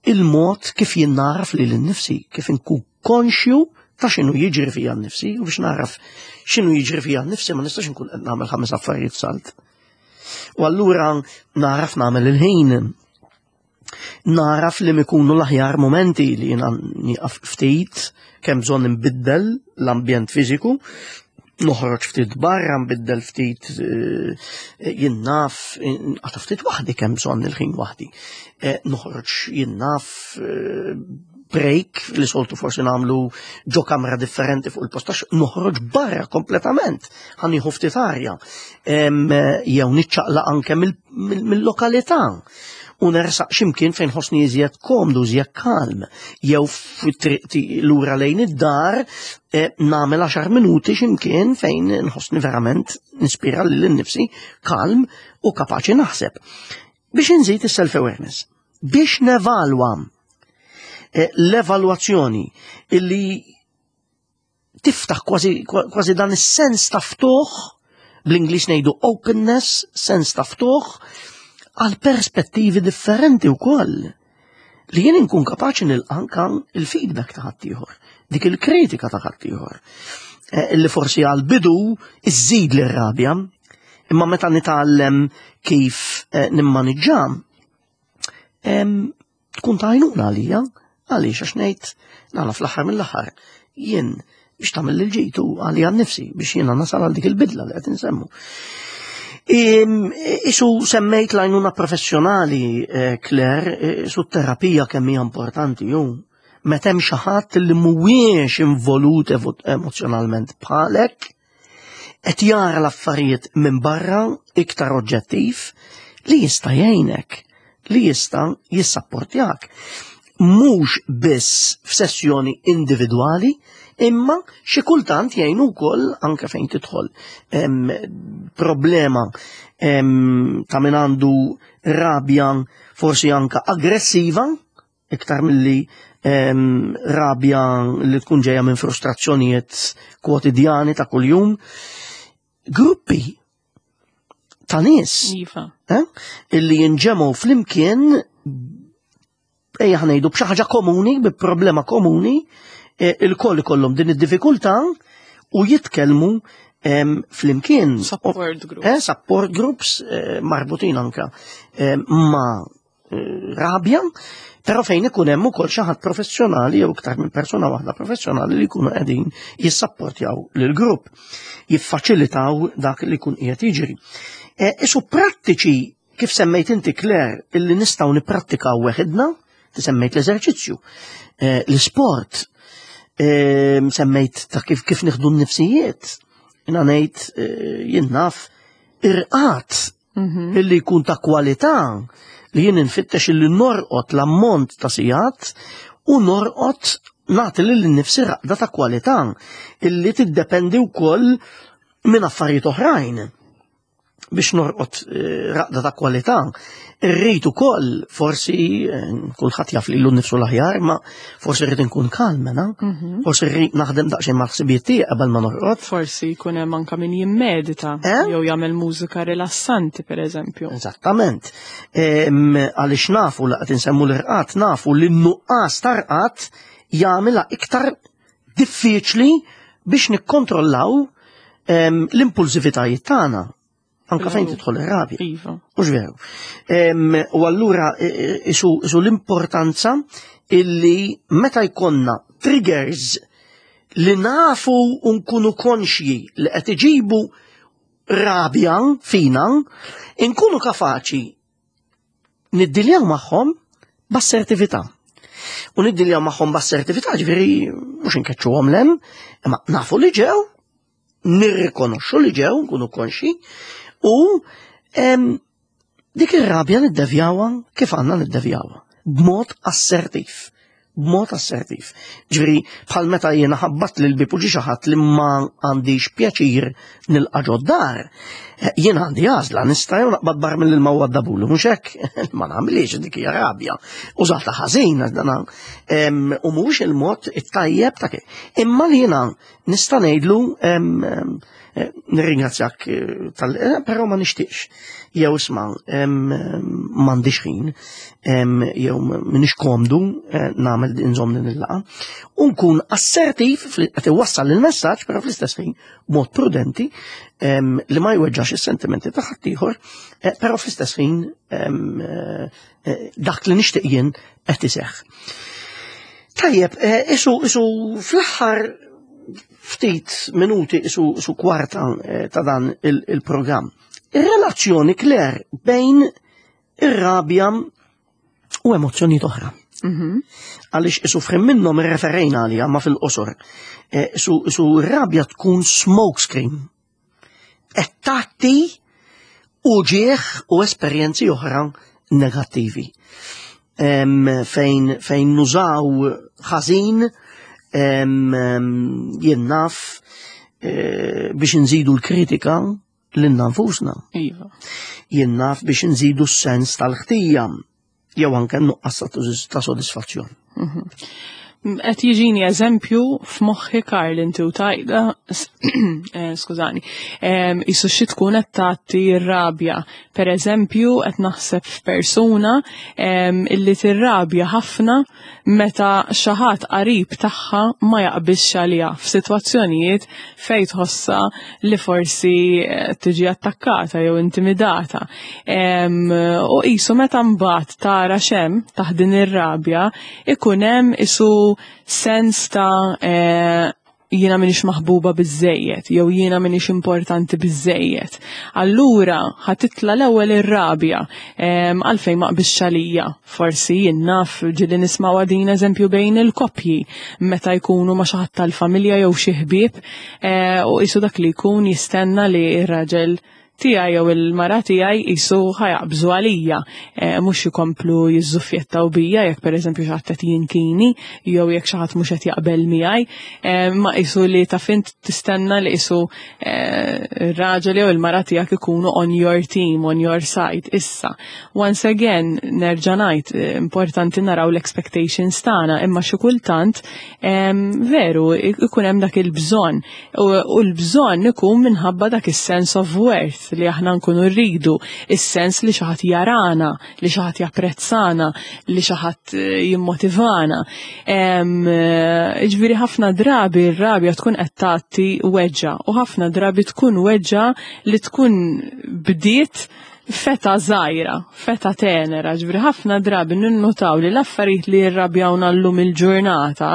A: il-mod kif jien naraf lili nnifsi, kif inkun konxju ta' x'inhu jiġri fija nnifsi, u biex naraf x'inhu jiġri fija nnifsi ma nistax inkun qed nagħmel ħames affarijiet salt. U allura naraf nagħmel il-ħin, naraf li mikunu l-aħjar momenti li jiena nieqaf ftit, kemm bżonn nbiddel l-ambjent fiżiku, noħroġ ftit barra, nbiddel ftit, jien naf, għata ftit waħdi kemm bżonn il-ħin waħdi. Noħroġ, jien naf, break li soltu forsi nagħmlu ġo kamra differenti fuq il-postax, noħroġ barra kompletament, ħa nieħu ftit arja, jew niċċaqlaq anke mill-lokalità u nersaq ximkien fejn ħossni iżjed komdu, iżjed kalm, jew fit-triq lura lejn id-dar nagħmel għaxar minuti ximkien fejn nħossni verament nispira lil nnifsi kalm u kapaċi naħseb. Biex nżid is-self-awareness, biex nevalwa l-evalwazzjoni illi tiftaħ kważi, kważi dan is-sens ta' ftuħ, bl-Ingliż ngħidu openness, sens ta' ftuħ għal perspettivi differenti wkoll. Li jien inkun kapaċi nilqa' anka il-feedback ta' ħaddieħor, dik il-kritika ta' ħaddieħor, illi forsi għal bidu iżżid l-rabja, imma meta nitgħallem kif nimmaniġġa, tkun ta' għajnuna għalija, għaliex għax ngħid nagħla fl-aħħar mill-aħħar jien biex tagħmel il-ġid u għalija nnifsi biex jiena nasal għal dik il-bidla li qed insemmu. Isu semmejt l-għajnuna professjonali, Claire, isu terapija kemm hija importanti ju. Meta hemm xi ħadd li mhuwiex involut emozjonalment bħalek, qed jara l-affarijiet minn barra iktar oġġettiv li jista' jgħinek, li jista' jissapportjak. Mhux biss f'sessjoni individwali, imma xi kultant jgħinu wkoll anke fejn tidħol problema ta' min għandu rabja forsi anka aggressiva, iktar milli rabja li tkun ġejja minn frustrazzjonijiet kwotidjani ta' kuljum. Gruppi ta' nies
B: Iva.
A: illi jinġemgħu flimkien, ejja ħa ngħidu b'xi ħaġa komuni, bi problema komuni, il-koll ikollhom din id-diffikultà u jitkellmu flimkien.
B: Support groups.
A: Eh, support groups marbutin anka ma' rabja, però fejn ikun hemm ukoll xi ħadd professjonali jew iktar minn persuna waħda professjonali li jkunu qegħdin jissapportjaw lill-grupp, jiffaċilitaw dak li jkun qiegħed jiġri. Isu prattiċi kif Kif semmejt inti, Claire, illi nistgħu nipprattikaw weħidna, ti semmejt l-eżerċizzju, eh, l-sport, eh, semmejt ta' kif kif nieħdu n-nifsijiet. Jiena ngħid, eh, jien naf irqad
B: Mhm.
A: illi jkun ta' kwalità, li jien infittex illi norqod l-ammont ta' sigħat u norqod nagħti lil nifsi raqda ta' kwalità illi tiddependi wkoll minn affarijiet oħrajn biex norqod eh, raqda ta' kwalità. Irrid ukoll forsi eh, kulħadd jaf lilu nnifsu l-aħjar, ma forsi rrid inkun kalm, na?
B: Mhm.
A: Forsi rrid naħdem daqsxejn mal-ħsibijiet tiegħi qabel ma norqod.
B: Forsi jkun hemm anka min jimmedita
A: Eh?
B: jew jagħmel mużika rilassanti, per eżempju.
A: Eżattament. Em, Għaliex nafu li qed insemmu l-irqad, nafu li n-nuqqas ta' rqad jagħmilha iktar diffiċli biex nikkontrollaw em, l-impulsivitajiet tagħna. Anka fejn tidħol ir-rabja.
B: Iva.
A: Mhux veru? Em, U allura e, e, isu, isu l-importanza illi meta jkollna triggers li nafu u nkunu konxji li qed iġibu rabja fina, inkunu kapaċi niddiljaw magħhom b'assertività. U niddiljaw magħhom b'assertività, ġifieri mhux inkeċċuhom 'l hemm, imma nafu li ġew, nirrikonoxxu li ġew, nkunu konxji, u em, dik ir-rabja niddevjawha kif għandna niddevjawha, b'mod assertiv. B'mod assertiv. Ġifieri, bħal meta jiena ħabbat lil bib u ġie xi ħadd li ma għandix pjaċir nilqa' ġod-dar. Eh, Jien għandi għażla, nista' jew naqbad barmil ilma u nwaddabulu, mhux hekk? Ma nagħmilix, dik hija rabja. Użata ħażin, dana, em, u mhux il-mod it-tajjeb ta' kif. Imma li jiena nista' ngħidlu em, em, eh, nirringrazzjak eh, tal eh, però ma nixtieqx. Jew isma' em, em, m'għandix ħin, em, jew m'iniex komdu eh, nagħmel inżomm din il-laqgħa. U nkun assertiv fli- qed iwassal il-messaġġ, però fl-istess ħin b'mod prudenti em, li ma jweġġax is-sentimenti ta' ħaddieħor, eh, però fl-istess ħin em, eh, eh, dak li nixtieq jien qed iseħħ. Tajjeb, eh, isu, isu fl-aħħar ftit minuti, isu, isu kwarta eh, ta' dan il- il-programm. Ir-relazzjoni, Claire, bejn ir-rabja u emozzjonijiet oħra.
B: Mhm.
A: Għaliex isu frim minnhom irreferejna għalija ma fil-qosor. Eh, Isu, isu r-rabja tkun smoke screen. Qed tagħti uġieħ u esperjenzi oħra negattivi. Em, fejn, fejn nużaw ħażin em, em, jien naf eh, biex nżidu l-kritika lilna nfusna.
B: Iva.
A: Jien naf biex nżidu s-sens tal-ħtija jew anke nuqqas ta' ta' sodisfazzjon.
B: Qed jiġini eżempju f'moħħi, Karl, inti u tgħidha, eh, skużani, em, isu xi tkun qed tagħti r-rabja. Per eżempju, qed naħseb f'persuna em, illi tirrabja ħafna meta xi ħadd qarib tagħha ma jaqbilx għaliha f'sitwazzjonijiet fejn tħossha li forsi eh, tiġi attakkata jew intimidata. Em, U qisu meta mbagħad tara x'hemm taħt din ir-rabja, ikun hemm isu sens ta' eh, jiena minix maħbuba biżejjed, jew jiena minix importanti biżejjed. Allura, ħa titla' l-ewwel ir-rabja, em, għalfejn ma qbisx għalija. Forsi jien naf, ġieli nismaw din eżempju bejn il-koppji meta jkunu ma' xi ħadd tal-familja jew xi ħbieb, eh, u qisu dak li jkun jistenna li r-raġel tiegħi jew il-mara tiegħi qisu ħa jaqbżu għalija, eh, mhux jikomplu jiżżuffjettaw bija jekk pereżempju xi ħadd qed jinkini jew jekk xi ħadd mhux qed jaqbel miegħi, eh, ma qisu li taf int tistenna li qisu eh, ir-raġel jew il-mara tiegħek ikunu on your team, on your side. Issa, once again, nerġa' ngħid, eh, importanti naraw l-expectations tagħna, imma xi kultant em, veru ikun hemm dak il-bżonn u, u l-bżonn ikun minħabba dak is-sense of worth li aħna nkunu rridu, is-sens li xi ħadd jarana, li xi ħadd japprezzana, li xi ħadd eh, jimmotivana. Em, eh, Ġifieri ħafna drabi r-rabja tkun qed tagħti weġġa u ħafna drabi tkun weġġa li tkun bdiet f'età żgħira, f'età tenera, ġifieri ħafna drabi ninnutaw li l-affarijiet li jirrabjawna llum il-ġurnata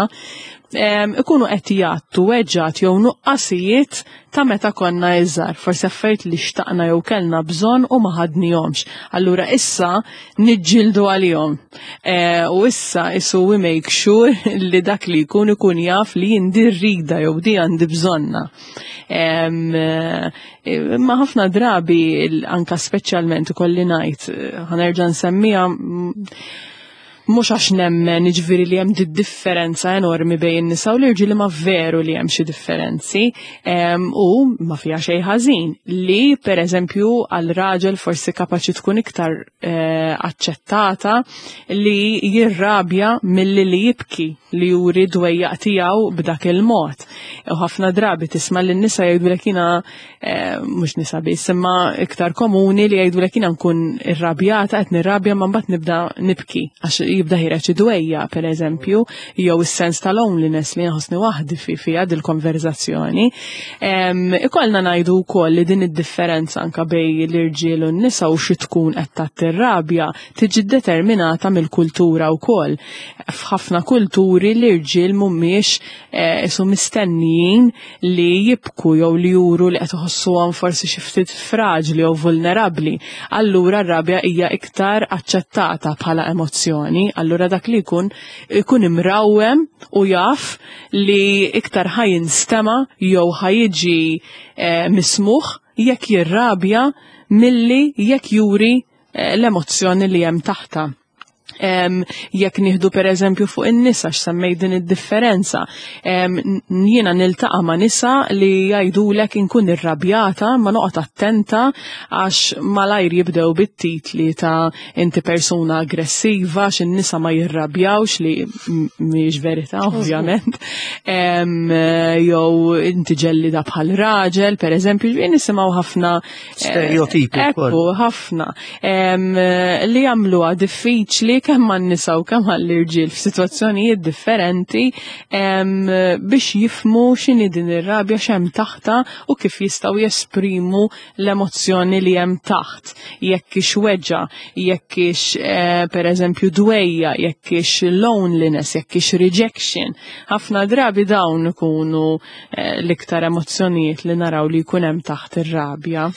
B: Ikunu qed jgħattu weġġat jew nuqqasijiet ta' meta konna iżgħar, forsi affarijiet li xtaqna jew kellna bżonn u ma ħadnihomx. Allura issa niġġieldu għalihom. U issa isu we make sure li dak li jkun ikun jaf li jien di rrida jew di għandi bżonna. Ma ħafna drabi, anka speċjalment ikolli ngħid, ħa nerġa' nsemmiha, mhux għax nemmen jiġifieri li hemm differenza enormi bejn in-nisa u l-irġiel, ma veru li hemm xi differenzi u ma fiha xejn ħażin li, per eżempju, għal raġel forsi kapaċi tkun iktar eh, aċċettata li jirrabja milli li jibki, li juri dwejjaq tiegħu b'dak il-mod. U ħafna drabi tisma' lin nisa jgħidulek jiena, eh, mhux nisa biss, imma iktar komuni li jgħidulek jiena nkun irrabjata, qed nirrabja, ma mbagħad nibda nibki għax jibda ħiereġ id-dwejjaq, per eżempju, jew is-sens ta' loneliness li nħossni waħdi fi fiha dil-konverzazzjoni. Ikollna ngħidu wkoll li din id-differenza anka bejn l-irġiel u n-nisa u xi tkun qed tgħatti r-rabja tiġi determinata mill-kultura wkoll. F'ħafna kulturi l-irġiel mhumiex eh, isu mistennijin li jibku jew li juru li qed iħossuhom forsi xi ftit fraġli jew vulnerabbli. Allura r-rabja hija iktar aċċettata bħala emozzjoni, allura dak li jkun ikun imrawwem u jaf li iktar ħa jinstema' jew ħa jiġi eh, mismugħ jekk jirrabja milli jekk juri eh, l-emozzjoni li hemm taħta. Um, jekk nieħdu per eżempju fuq in-nisa, x'semmejt din id-differenza. Um, jiena niltaqa' ma' nisa li jgħidulek inkun irrabjata ma noqgħod attenta għax malajr jibdew bit-titli ta' inti persuna aggressiva, għax in-nisa ma jirrabjawx, li mhijiex verità ovvjament. Um, jew inti ġellida bħal raġel, per eżempju, nisimgħu ħafna
A: stereotipi.
B: Ekku, ħafna. Um, li jagħmluha diffiċli kemm għan-nisa u kemm għall-irġiel f'sitwazzjonijiet differenti biex jifhmu x'inhi din ir-rabja, x'hemm taħta u kif jistgħu jesprimu l-emozzjoni li hemm taħt. Jekk hix weġġa, jekk hix eh, per eżempju dwejjaq, jekk hix loneliness, jekk hix rejection. Ħafna drabi dawn ikunu eh, l-iktar emozzjonijiet li naraw li jkun hemm taħt ir-rabja.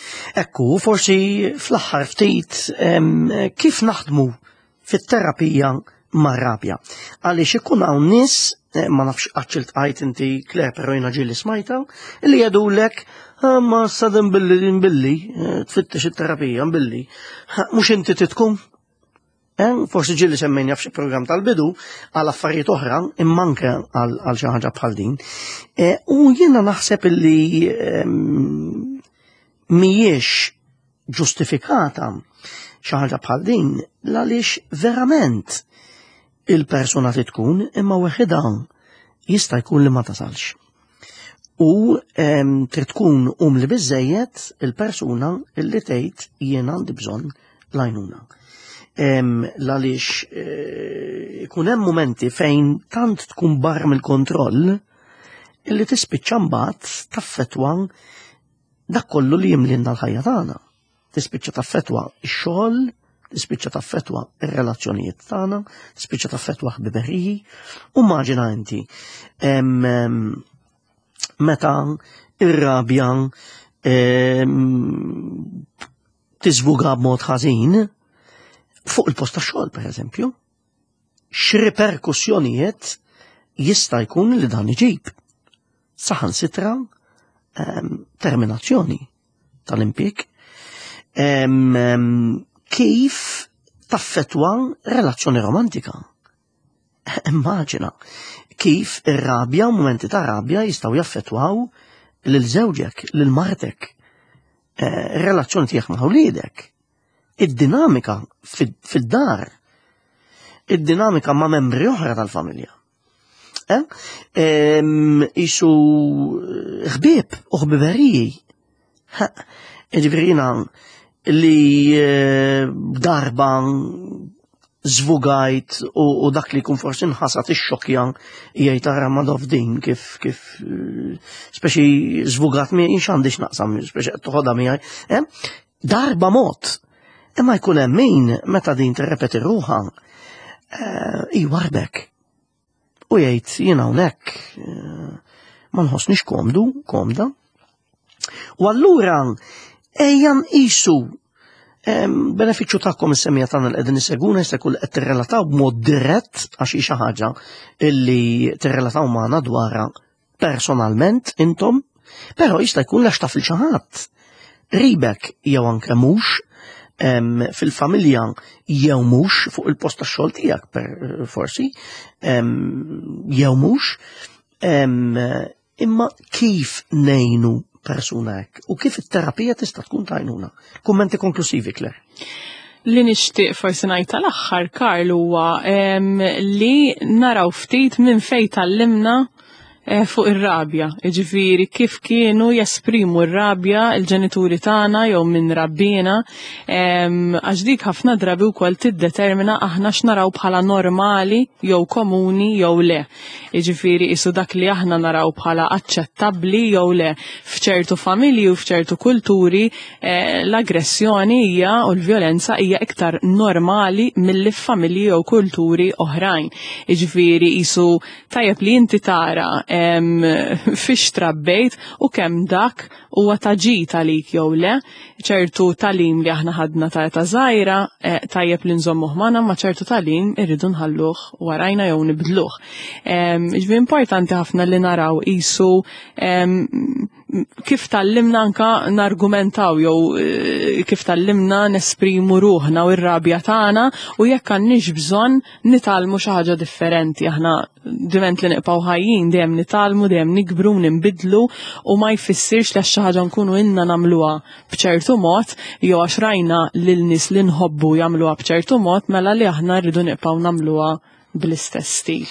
A: Ekku, forsi fl-aħħar ftit kif naħdmu fit-terapija mar-rabja. Għaliex ikun hawn nies, eh, ma nafx qattx iltqajt inti, Claire, però jiena ġieli smajta, li jgħidulek, ah, ma sadem billi billi, eh, tfittex it-terapija billi. Mhux inti titkun? Eh, forsi ġieli semmejna f'xi programm tal-bidu għal affarijiet oħra, imma anke għal xi ħaġa bħal din. U jiena naħseb illi ehm, mhijiex ġustifikata xi ħaġa bħal din għaliex verament il-persuna tkun imma weħidha jista' jkun li ma tasalx. U trid tkun umli biżejjed il-persuna illi tgħid jien għandi bżonn l-għajnuna. Għaliex eh, ikun hemm momenti fejn tant tkun barra mill-kontroll illi tispiċċa mbagħad taffetwa dak kollu li jimlinna l-ħajja tagħna. Tispiċċa taffetwa x-xogħol, tispiċċa taffetwa ir-relazzjonijiet tagħna, tispiċċa taffetwa ħbiberiji. U immaġina inti meta ir-rabja tiżvuga b'mod ħażin fuq il-post tax-xogħol, pereżempju, x'riperkussjonijiet jista' jkun li dan iġib. Saħansitra terminazzjoni tal-impjieg, kif taffetwa relazzjoni romantika. Immaġina kif ir-rabja u momenti ta' rabja jistgħu jaffetwaw lil żewġek, lil martek, eh, relazzjoni tiegħek ma' wliedek, id-dinamika fid-dar, id-dinamika ma' membri oħra tal-familja. Eh? Isu ħbieb u ħbiberiji. Ġifieri li eh, darba zvugajt u, u dak li kun forsi nħasat ix-xokja, jgħid tara ma din kif kif eh, speċi zvugat mi x'għandix naqsam, speċi toħodha miegħi. Eh? Darba mod. Imma jkun hemm min meta din tirrepeti ruħha eh, jwarbek. U jgħid jiena hawnhekk eh, ma nħossnix komdu, komda. U allura ejja nqisu benefiċċju tagħkom is-semmiegħa tagħna li qegħdin isegwuna jista' jkun qed tirrelataw b'mod dirett għax hi xi ħaġa illi tirrelataw magħna dwarha personalment intom, però jista' jkun għax taf lil xi ħadd. Qribek jew anke mhux fil-familja jew mhux fuq il-post tax-xogħol tiegħek per forsi jew mhux imma kif ngħinu persuna hekk u kif it-terapija tista' tkun t'għajnuna. Kummenti konklusivi, Claire.
B: Li nixtieq forsi ngħid tal-aħħar, Karl, huwa li naraw ftit minn fejn tgħallimna eh, fuq ir-rabja. Ġifieri kif kienu jesprimu r-rabja il-ġenituri tagħna jew minn rabbina, għax dik ħafna drabi wkoll tiddetermina aħna x'naraw bħala normali jew komuni jew le. Ġifieri isu dak li aħna naraw bħala aċċettabbli jew le. F'ċertu familji u f'ċertu kulturi eh, l-aggressjoni hija u l-vjolenza hija iktar normali milli f'familji jew kulturi oħrajn. Ġifieri isu tajjeb li inti tara fiex trabbejt u kemm dak huwa ta' ġid għalik jew le, ċertu tagħlim li aħna ħadna ta' età żgħira eh, tajjeb li nżommuh magħna ma ċertu tagħlim irridu nħalluh warajna jew nibdluh. Ġifieri importanti ħafna li naraw isu kif tgħallimna anka nargumentaw jew eh, kif tgħallimna nesprimu ruħna u r-rabja tagħna u jekk għandniex bżonn nitgħallmu xi ħaġa differenti. Aħna diment li nibqgħu ħajjin dejjem nitgħallmu, dejjem nikbru, ninbidlu u ma jfissirx li xi ħaġa nkunu ilna nagħmluha b'ċertu mod jew għax rajna lil nies li nħobbu jagħmluha b'ċertu mod mela li aħna rridu nibqgħu nagħmluha bl-istess stil.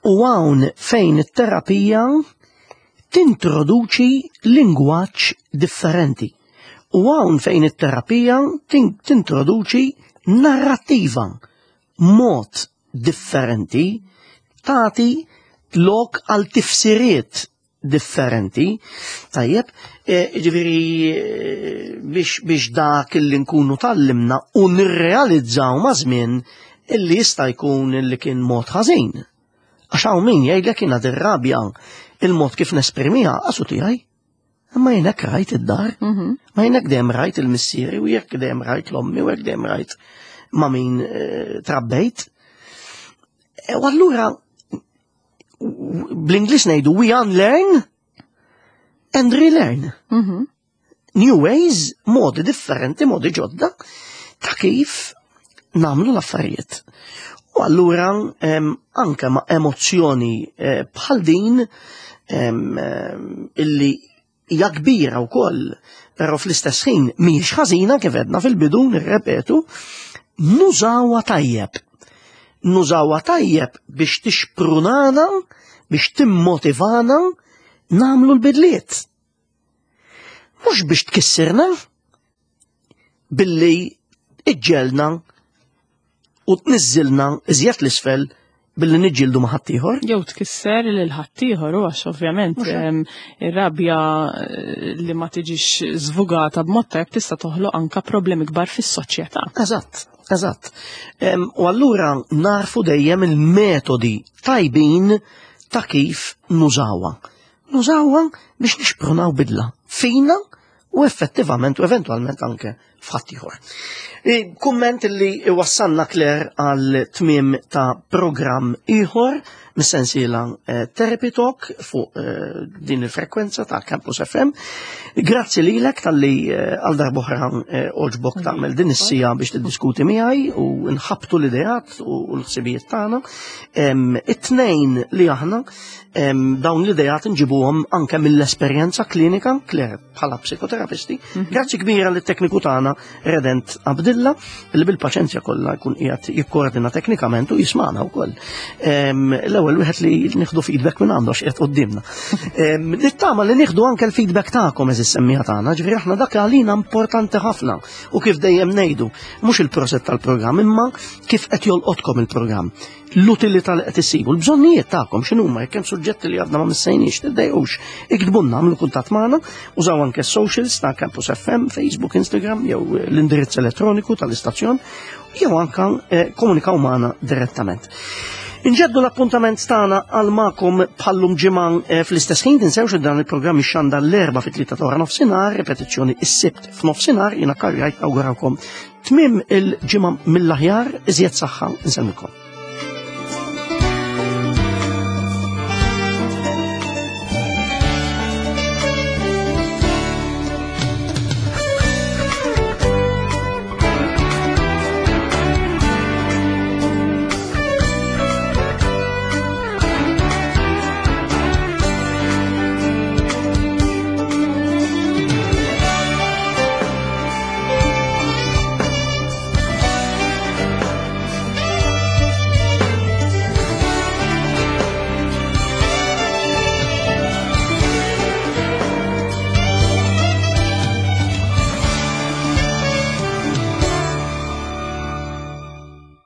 A: U hawn fejn it-terapija tintroduċi lingwaġġ differenti. U hawn fejn it-terapija tintroduċi narrattiva, mod differenti, tagħti lok għal tifsiriet differenti. Tajjeb, e, ġifieri biex, biex dak illi nkunu tgħallimna u nirrealizzaw ma' żmien illi jista' jkun illi kien mod ħażin. Għax hawn min jgħidlek jiena dir-rabja il-mod kif nesprimiha għasu tiegħi. Imma jien hekk rajt id-dar,
B: Mhm.
A: ma jien hekk dejjem rajt il-missieri u jekk dejjem rajt l-ommi u jekk dejjem rajt ma' min eh, trabbejt. E, U allura bl-Ingliż ngħidu we unlearn and relearn.
B: Mhm.
A: New ways, modi differenti, modi ġodda ta' kif nagħmlu l-affarijiet. U allura em, anke ma' emozzjoni eh, bħal din em, em, illi hija kbira wkoll, però fl-istess ħin mhijiex ħażina kif għedna fil-bidu nirrepetu, nużawha tajjeb. Nużawha tajjeb biex tixprunana, biex timmotivana nagħmlu l-bidliet. Mhux biex tkissirna billi iġġelna u tniżżilna iżjed l-isfel billi niġġieldu ma' ħaddieħor.
B: Jew tkisser lil ħaddieħor u għax ovvjament
A: Mhux hekk.
B: em, ir-rabja eh, li ma tiġix żvugata b'mod tajjeb tista' toħloq anka problemi kbar fis-soċjetà.
A: Eżatt, eżatt. Em, U allura narfu dejjem il-metodi tajbin ta' kif nużawha. Nużawha biex nixprunaw bidla fina u effettivament u eventualment anke f'ħaddieħor. E, Kumment li wassalna Claire għal tmiem ta' programm ieħor mis-sensiela eh, Therapy Talk fuq eh, din il-frekwenza ta' Campus F M. Grazzi lilek talli eh, għal darb'oħra eh, għoġbok tagħmel din is-siegħa biex tiddiskuti miegħi u nħabtu l-ideat u l-ħsibijiet tagħna. Em, It-tnejn li aħna em, dawn l-ideat nġibuhom anke mill-esperjenza klinika, Claire bħala psikoterapisti. Grazzi kbira lit-tekniku tagħna Redent Abdilla li bil-paċenzja kollha jkun qiegħed jikkoordina teknikament u jismana wkoll. Em, L-ewwel wieħed li nieħdu feedback minn għandu għax qiegħed quddiemna. Em, Nittama li nieħdu anke l-feedback tagħkom għeżież semmiegħa tagħna, ġifieri aħna dak għalina importanti ħafna u kif dejjem ngħidu, mhux il-proset tal-programm imma kif qed jolqotkom il-programm. L-utilità li qed issibu, l-bżonnijiet tagħkom x'inhuma, jekk hemm suġġetti li għadna ma missejniex, tiddejqux, iktbulna, għamlu kuntatt magħna, użaw anke socials ta' Campus F M, Facebook, Instagram, jew l-indirizz elettroniku tal-istazzjon, jew anke eh, komunikaw magħna direttament. Inġeddu l-appuntament tagħna għal magħkom bħal-lum ġimgħa eh, fl-istess ħin. Tinsewx li dan il-programm ixxandar l-Erbgħa fit-tlieta ta' wara nofsinhar, ripetizzjoni is-Sibt f'nofsinhar. Jiena karjajt awgurawkom tmiem il-ġimgħa mill-aħjar, iżjed saħħa, insellmilkom.